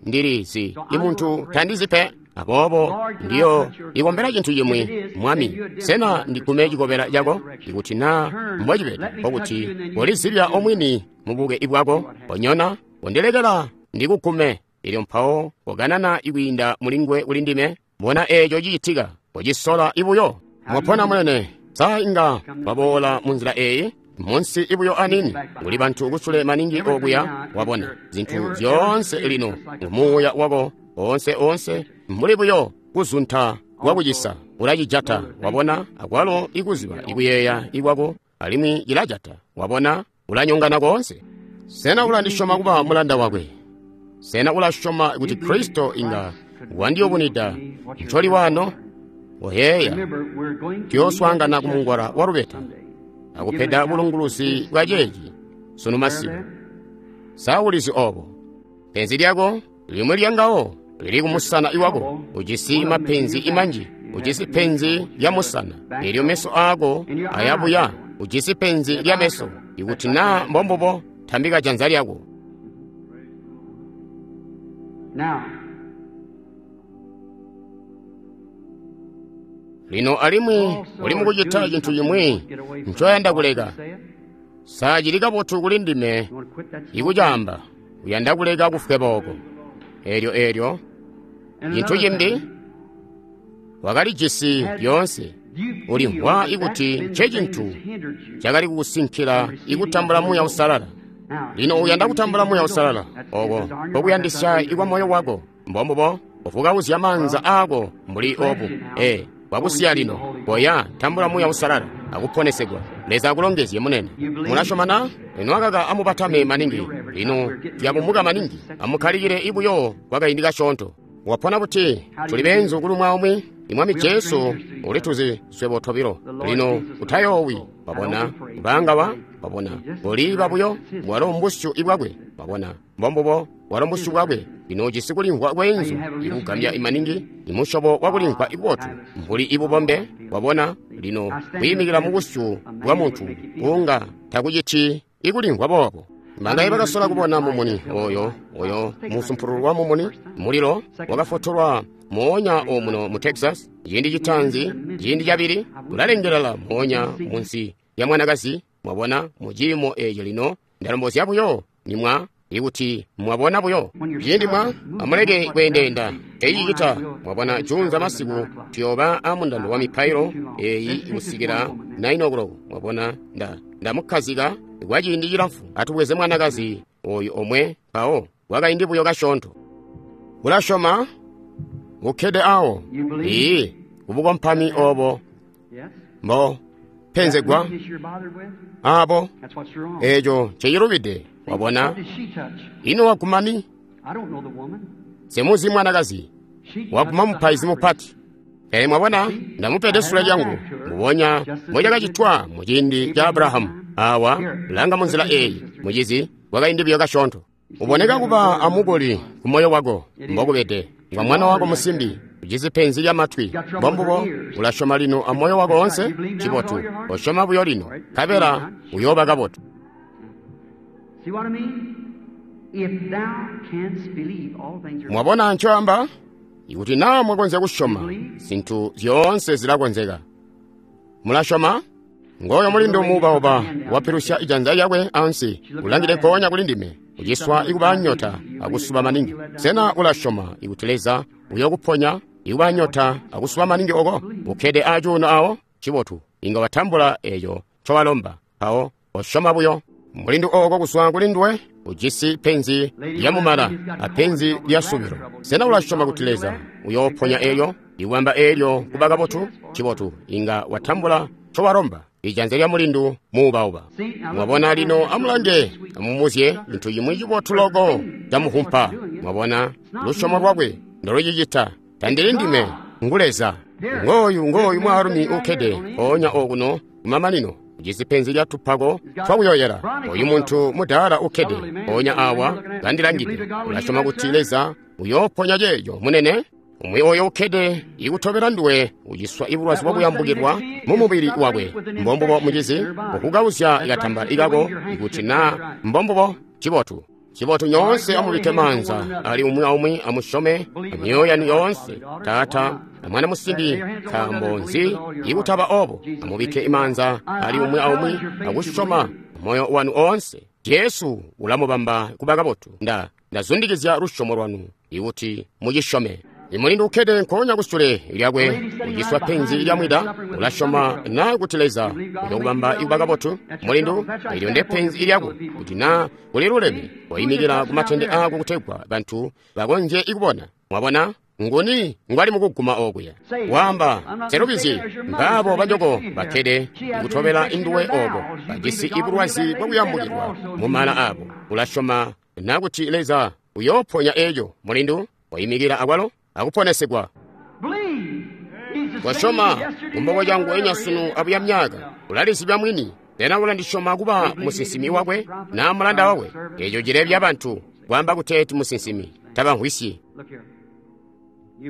Speaker 2: ndilizi imuntu tandizi pe, aboobo ndiyo ikombela cintu cimwi. Mwami, sena ndigume cikobela cako? Ikuti na mbocibede, nkokuti kolizibya omwini mubuke bwako. Konyona, kondilekela ndikugume. Elyo mpawo kokanana ikwiinda mulingwe kuli ndime. Bona eeco cicitika, kocisola ibuyo. Mwapona munene, sa inga waboola munzila eeyi? Munsi ibuyo anini, kuli bantu kusule maningi okuya. Wabona zintu zyoonse lino ngumuuya wako onse mbuli buyo kuzunta kwakucisa ulacijata. Wabona, akwalo ikuziba ikuyeeya ikwako alimwi cilajata. Wabona, ulanyongana koonse. Sena ulandisyoma kuba mulanda wakwe? Sena ulasyoma kuti Kristo inga wandiyubunwida ncoli wano? Oyeeya, tuyooswaangana kumungwala wa lubeta akupeda bulunguluzi bwa ceeci sunu masiku. Sa ulizi obo? Penzi lyako limwi lyangawo lili kumusana iwako. Ujisi mapenzi imanji. Ujisi penzi lya musana, elyo meso aako ayabuya. Ujisi penzi lya meso. Ikuti na mbombubo, tambika janza lyako. Lino alimwi uli mukucita cintu cimwi ncoyanda kuleka. Sa cili kabotu kuli ndime ikucaamba, uyanda kuleka kufweba oko. Eelyo cintu cimbi wakalijisi lyoonse. Ulimvwa ikuti ncecintu cakali kukusinkila ikutambula Muuya Uusalala. Lino uyanda kutambula Muuya Uusalala oko kokuyandisya ikwa moyo wako. Mbombubo, uvukauzya maanza aako mbuli obu. Wakusiya lino, koya tambula Muuya Uusalala akuponesegwa. Leza akulongezye munene. Mulasyoma na? Lino akaka amubatame maningi. Lino tuyabumuka maningi. Amukkalikile ibuyo kwakaindi kasyoonto. Wapona buti? Tuli beenzu kuli umwi aumwi. Imwami Jesu ulituzi swebo tobilo. Lino utayoowi. Wabona ubaangawa? Wabona uliiba buyo. Walo mbusyu ibwakwe. Wabona mbombubo, walo mbusyu bwakwe. Lino ujisi kulimvwa kweenzu ikugambya imaningi, imusyobo wakulimvwa ikubotu mbuli ibubombe. Wabona lino kwiimikila mubusyu bwa muntu unga takuciti ikulimvwa boobo. Bangaye bakasola kubona mumuni oyo musumpululu wa mumuni mulilo wakafotolwa moonya omuno mu Texas. Ciindi citaanzi, ciindi cabili, ulalengelela moonya munsi ya mwanakazi. Mwabona mu ciimo eeco lino ndalombozya buyo nimwa ikuti mwabona buyo ciindi mwa amuleke kweendeenda ecicita. Mwabona juunza masiku tuyooba amundando wa mipailo eeyi kusikila 9 o'clock. Mwabona ndamukkazika kwa ciindi cilamfu. Atubweze mwanakazi oyu omwe mpawo kwakaindi buyo kasyoonto. Ulasyoma? Ukkede awo. Ii, kubukompami obo mbo penzegwa abo, eeco ncecilubide. Wabona? Ino wagumani? Semuzi mwanakazi waguma mupaizi mupati. Pele mwabona, ndamupede sule lyangu mbubonya mbocakacitwa muciindi ca Abrahamu. Awa langa munzila eeyi, mucizi, Kwakaindi biyo kasyoonto. Uboneka kuba amukuli ku moyo wako, mbokubede. Ngwa mwana wako musimbi, ujisi penzi lya matwi. Mbombubo, ulasyoma lino a moyo wako onse? Cibotu. Osyoma buyo lino, nkabela uyooba kabotu. Mwabona ncoamba? Ikuti naa mwakonzya kusyoma, zintu zyoonse zilakonzeka. Mulasyoma? Ngooyo mulindu muubauba wapilusya ijanza lyakwe ansi, ulangide nkoonya kuli ndime, uciswa ikuba nyota akusuba maningi. Sena ulasyoma ikuti Leza uyokuponya ikuba nyota akusuba maningi oko? Ukkede acuuno awo? Cibotu, inga watambula eeco ncowalomba. Mpawo osyoma buyo. Mulindu oko kuzwa kuli nduwe ujisi penzi lya mumala apenzi lya subilo. Sena ulasyoma kuti Leza uyooponya eelyo, iwamba eelyo kuba kabotu? Cibotu, inga watambula ncowalomba. Ijanza lya mulindu muubauba. Mwabona lino, amulange, amumuzye cintu cimwi cibotu loko camuhumpa. Mwabona lusyomo lwakwe ndolucicita. Tandili ndime, ngu Leza. Ngooyu mwaalumi ukkede mpoonya okuno kumamanino, ujisi penzi lya tupako twakuyoyela. Oyu muntu mudaala ukkede mpoonya awa kandilangide. Ulasyoma kuti Leza uyooponya ceeco, munene? Umwi oyo ukkede ikutobela nduwe uciswa ibulwazi bwakuyambukilwa mu mubili wakwe. Mbombubo, mucizi, ukukauzya katamba ikako ikuti naa mbombubo. Cibotu. Cibotu, nyoonse amubikke maanza ali umwi aumwi, amusyome amyoyo yanu yoonse. Taata na mwana musimbi, nkaambo nzi ikutaba obo? Amubikke imaanza ali umwi aumwi akusyoma moyo wanu oonse. Jesu ulamubamba kuba kabotu. Ndazundikizya lusyomo lwanu ikuti mucisyome. Imulindu ukkede nkoonya kusule lyakwe uciswa penzi lya mwida. Ulasyoma naa kuti Leza uyokubamba ikuba kabotu? Mulindu, eelyo nde penzi lyako. Kuti naa kuliluleme, koyimikila ku matende ako kutegwa bantu bakonzye ikubona. Mwabona? Nguni ngwali mukuguma okuya? Wamba, selubizi, mbaabo banyoko bakkede ikutobela induwe oko, bajisi ibulwazi bwakuyambukilwa mu mala abo. Ulasyoma naa kuti Leza uyooponya eeco? Mulindu, koyimikila akwalo akuponesegwa. Kosyoma kumboko cangu enyasunu abuya myaka. Ulalizibya mwini. Sena ulandisyoma kuba musinsimi wakwe naa mulanda wakwe? Eeco cilebya bantu kwaamba kuteeti musinsimi tabamvwisyi.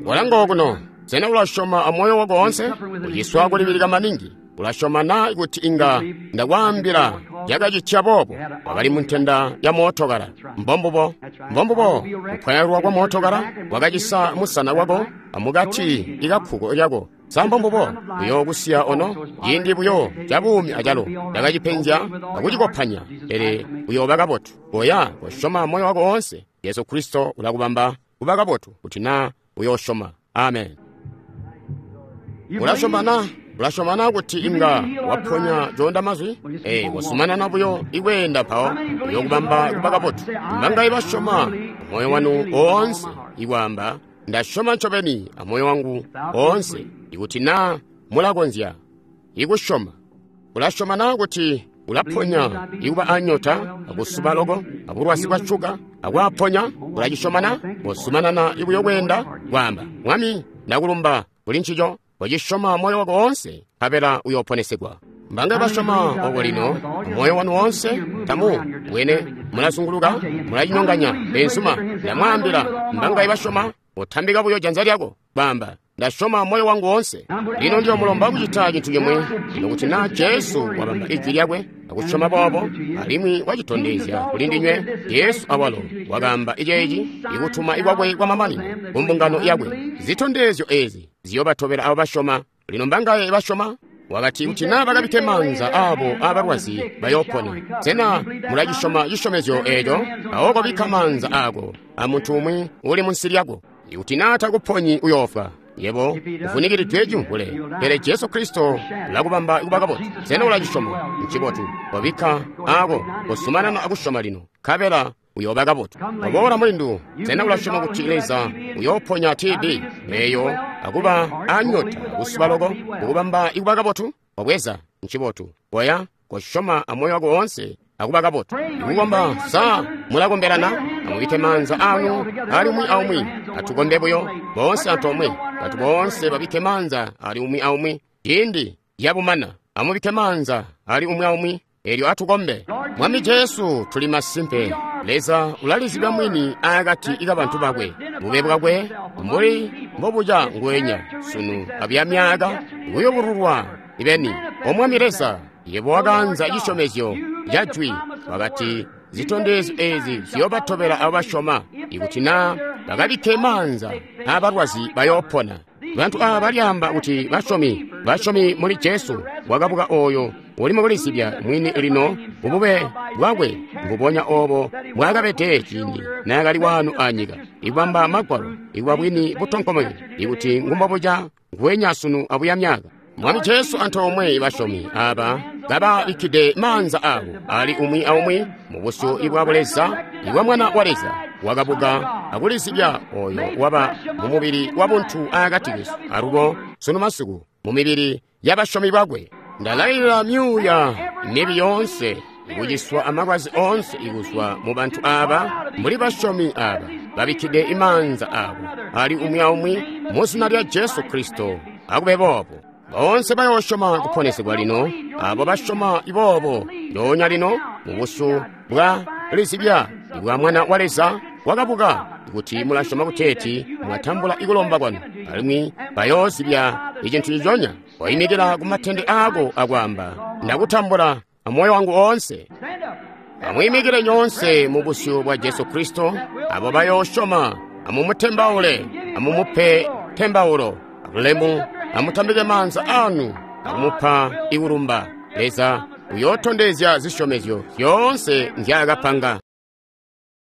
Speaker 2: Walanga okuno. Sena ulasyoma amoyo wako woonse? Uciswa kulibilika maningi. Ulasyoma naa kuti inga ndakwaambila yakacitya boobo? Wakali muntenda ya mootokala. Mbombubo. Mbombubo. Kupwayalwa kwa mootokala kwakacisa musana wako amukati ikakkuko lyako. Sa mbombubo? Uyookusiya ono ciindi buyo ca buumi acalo. Ndakacipenzya akucikopanya, pele uyooba kabotu. Koya, kosyoma moyo wako woonse. Yesu Kristo ulakubamba kuba kabotu kuti naa uyoosyoma. Amen. Ulasyoma na? Ulasyoma na kuti inga waponya coonda mazwi? Kosumanana buyo ikweenda mpawo uyokubamba kuba kabotu. Mbangayi basyoma moyo wanu oonse ikwaamba, ndasyoma ncobeni amoyo wangu oonse, ikuti naa mulakonzya ikusyoma. Ulasyoma na kuti ulaponya ikuba anyota akusuba loko abulwazi bwa shuga akwaponya? Ulacisyoma na? Kosumanana ibuyo kweenda kwaamba, Mwami, ndakulumba kuli ncico. Wacisyoma moyo wako woonse, nkabela uyooponesegwa. Mbangayi basyoma oko lino moyo wanu woonse? Tamu bwene mulazunguluka, mulacinyonganya. Benzuma, ndamwaambila, mbangayi basyoma? Utambika buyo janza lyako kwaamba, ndasyoma moyo wangu woonse. Lino ndiyomulomba kucita cintu cimwi. Lino kuti naa Jesu wabamba ijwi lyakwe akusyoma boobo, alimwi wacitondezya kuli ndinywe, Jesu awalo wakaamba iceeci ikutuma ikwakwe kwamamanino ku mbungano yakwe. Zitondezyo eezi ziyobatobela abo basyoma. Lino mbangaye basyoma? Wakati kuti naa bakabikke maanza abo abalwazi bayoopona. Sena mulacisyoma cisyomezyo eeco? Awo kobikka maanza ako amuntu umwi uli munsi lyako. Ikuti naa takuponyi uyoofwa. Yebo uvunikilidwe cimvule, pele Jesu Kristo ulakubamba kuba kabotu. Sena ulacisyoma? Ncibotu. Kobikka ako, kosumanana akusyoma lino, nkabela uyooba kabotu. Waboola mulindu, sena ulasyoma kuti Leza uyooponya TB eeyo akuba anyota kusuba loko kukubamba ikuba kabotu? Wabweza. Ncibotu. Koya, kosyoma amoyo wako woonse akuba kabotu. Ikukomba, sa mulakombelana? Amubikke maanza anu ali umwi aumwi. Atukombe buyo boonse antoomwe. Bantu boonse babikke maanza ali umwi aumwi. Ciindi yabumana, amubikke maanza ali umwi aumwi. Elyo atukombe. Mwami Jesu, tuli masimpe Leza ulalizibya mwini aakati kabantu bakwe, bube bwakwe mbuli mbobuca nguwenya sunu abuya myaaka kuyubululwa ibeni. O Mwami Leza, yebo wakanza cisyomezyo ca jwi, wakati zitondezyo ezi ziyoobatobela abo basyoma, ikuti naa bakabikke maanza aabalwazi bayoopona. Bantu aaba balyaamba kuti basyomi, basyomi muli Jesu wakabuka ooyo uli mukulizibya mwini lino kubube bwakwe mbubonya oobo bwakabede ciindi naakali waano anyika, ikubamba Magwalo, ikuba bwini butonkomeke, ikuti ngumbobuca nguwenya sunu abuya myaaka. Mwami Jesu antoomwe basyomi aaba kababikkide maanza aabo ali umwi aumwi mu busyu bwa Buleza ibwa Mwana wa Leza wakabuka akulizibya ooyo waba mu mubili wa buntu aakati kesu, alubo sunu masiku mu mibili y'abasyomi bakwe. Ndalailila myuuya mibi yoonse ikuciswa amalwazi oonse ikuzwa mu bantu aaba mbuli basyomi aaba babikkide imaanza aabo ali umwi aumwi mu zina lya Jesu Kristo. Akube boobo. Boonse bayoosyoma kuponesegwa lino, abo basyoma iboobo ndoonya lino mu busyu bwa lizibya ibwa Mwana wa Leza wakabuka, kuti mulasyoma kuteeti mwatambula ikulomba kwanu, alimwi bayoozibya icintu ciconya. Waimikila ku matende aako akwaamba, ndakutambula amoyo wangu oonse. Amwiimikile nyoonse mu busyu bwa Jesu Kristo, abo bayoosyoma, amumutembaule, amumupe tembaulo, abulemu, amutambike maanza anu akumupa ikulumba. Leza uyootondezya zisyomezyo zyoonse nzyaakapanga.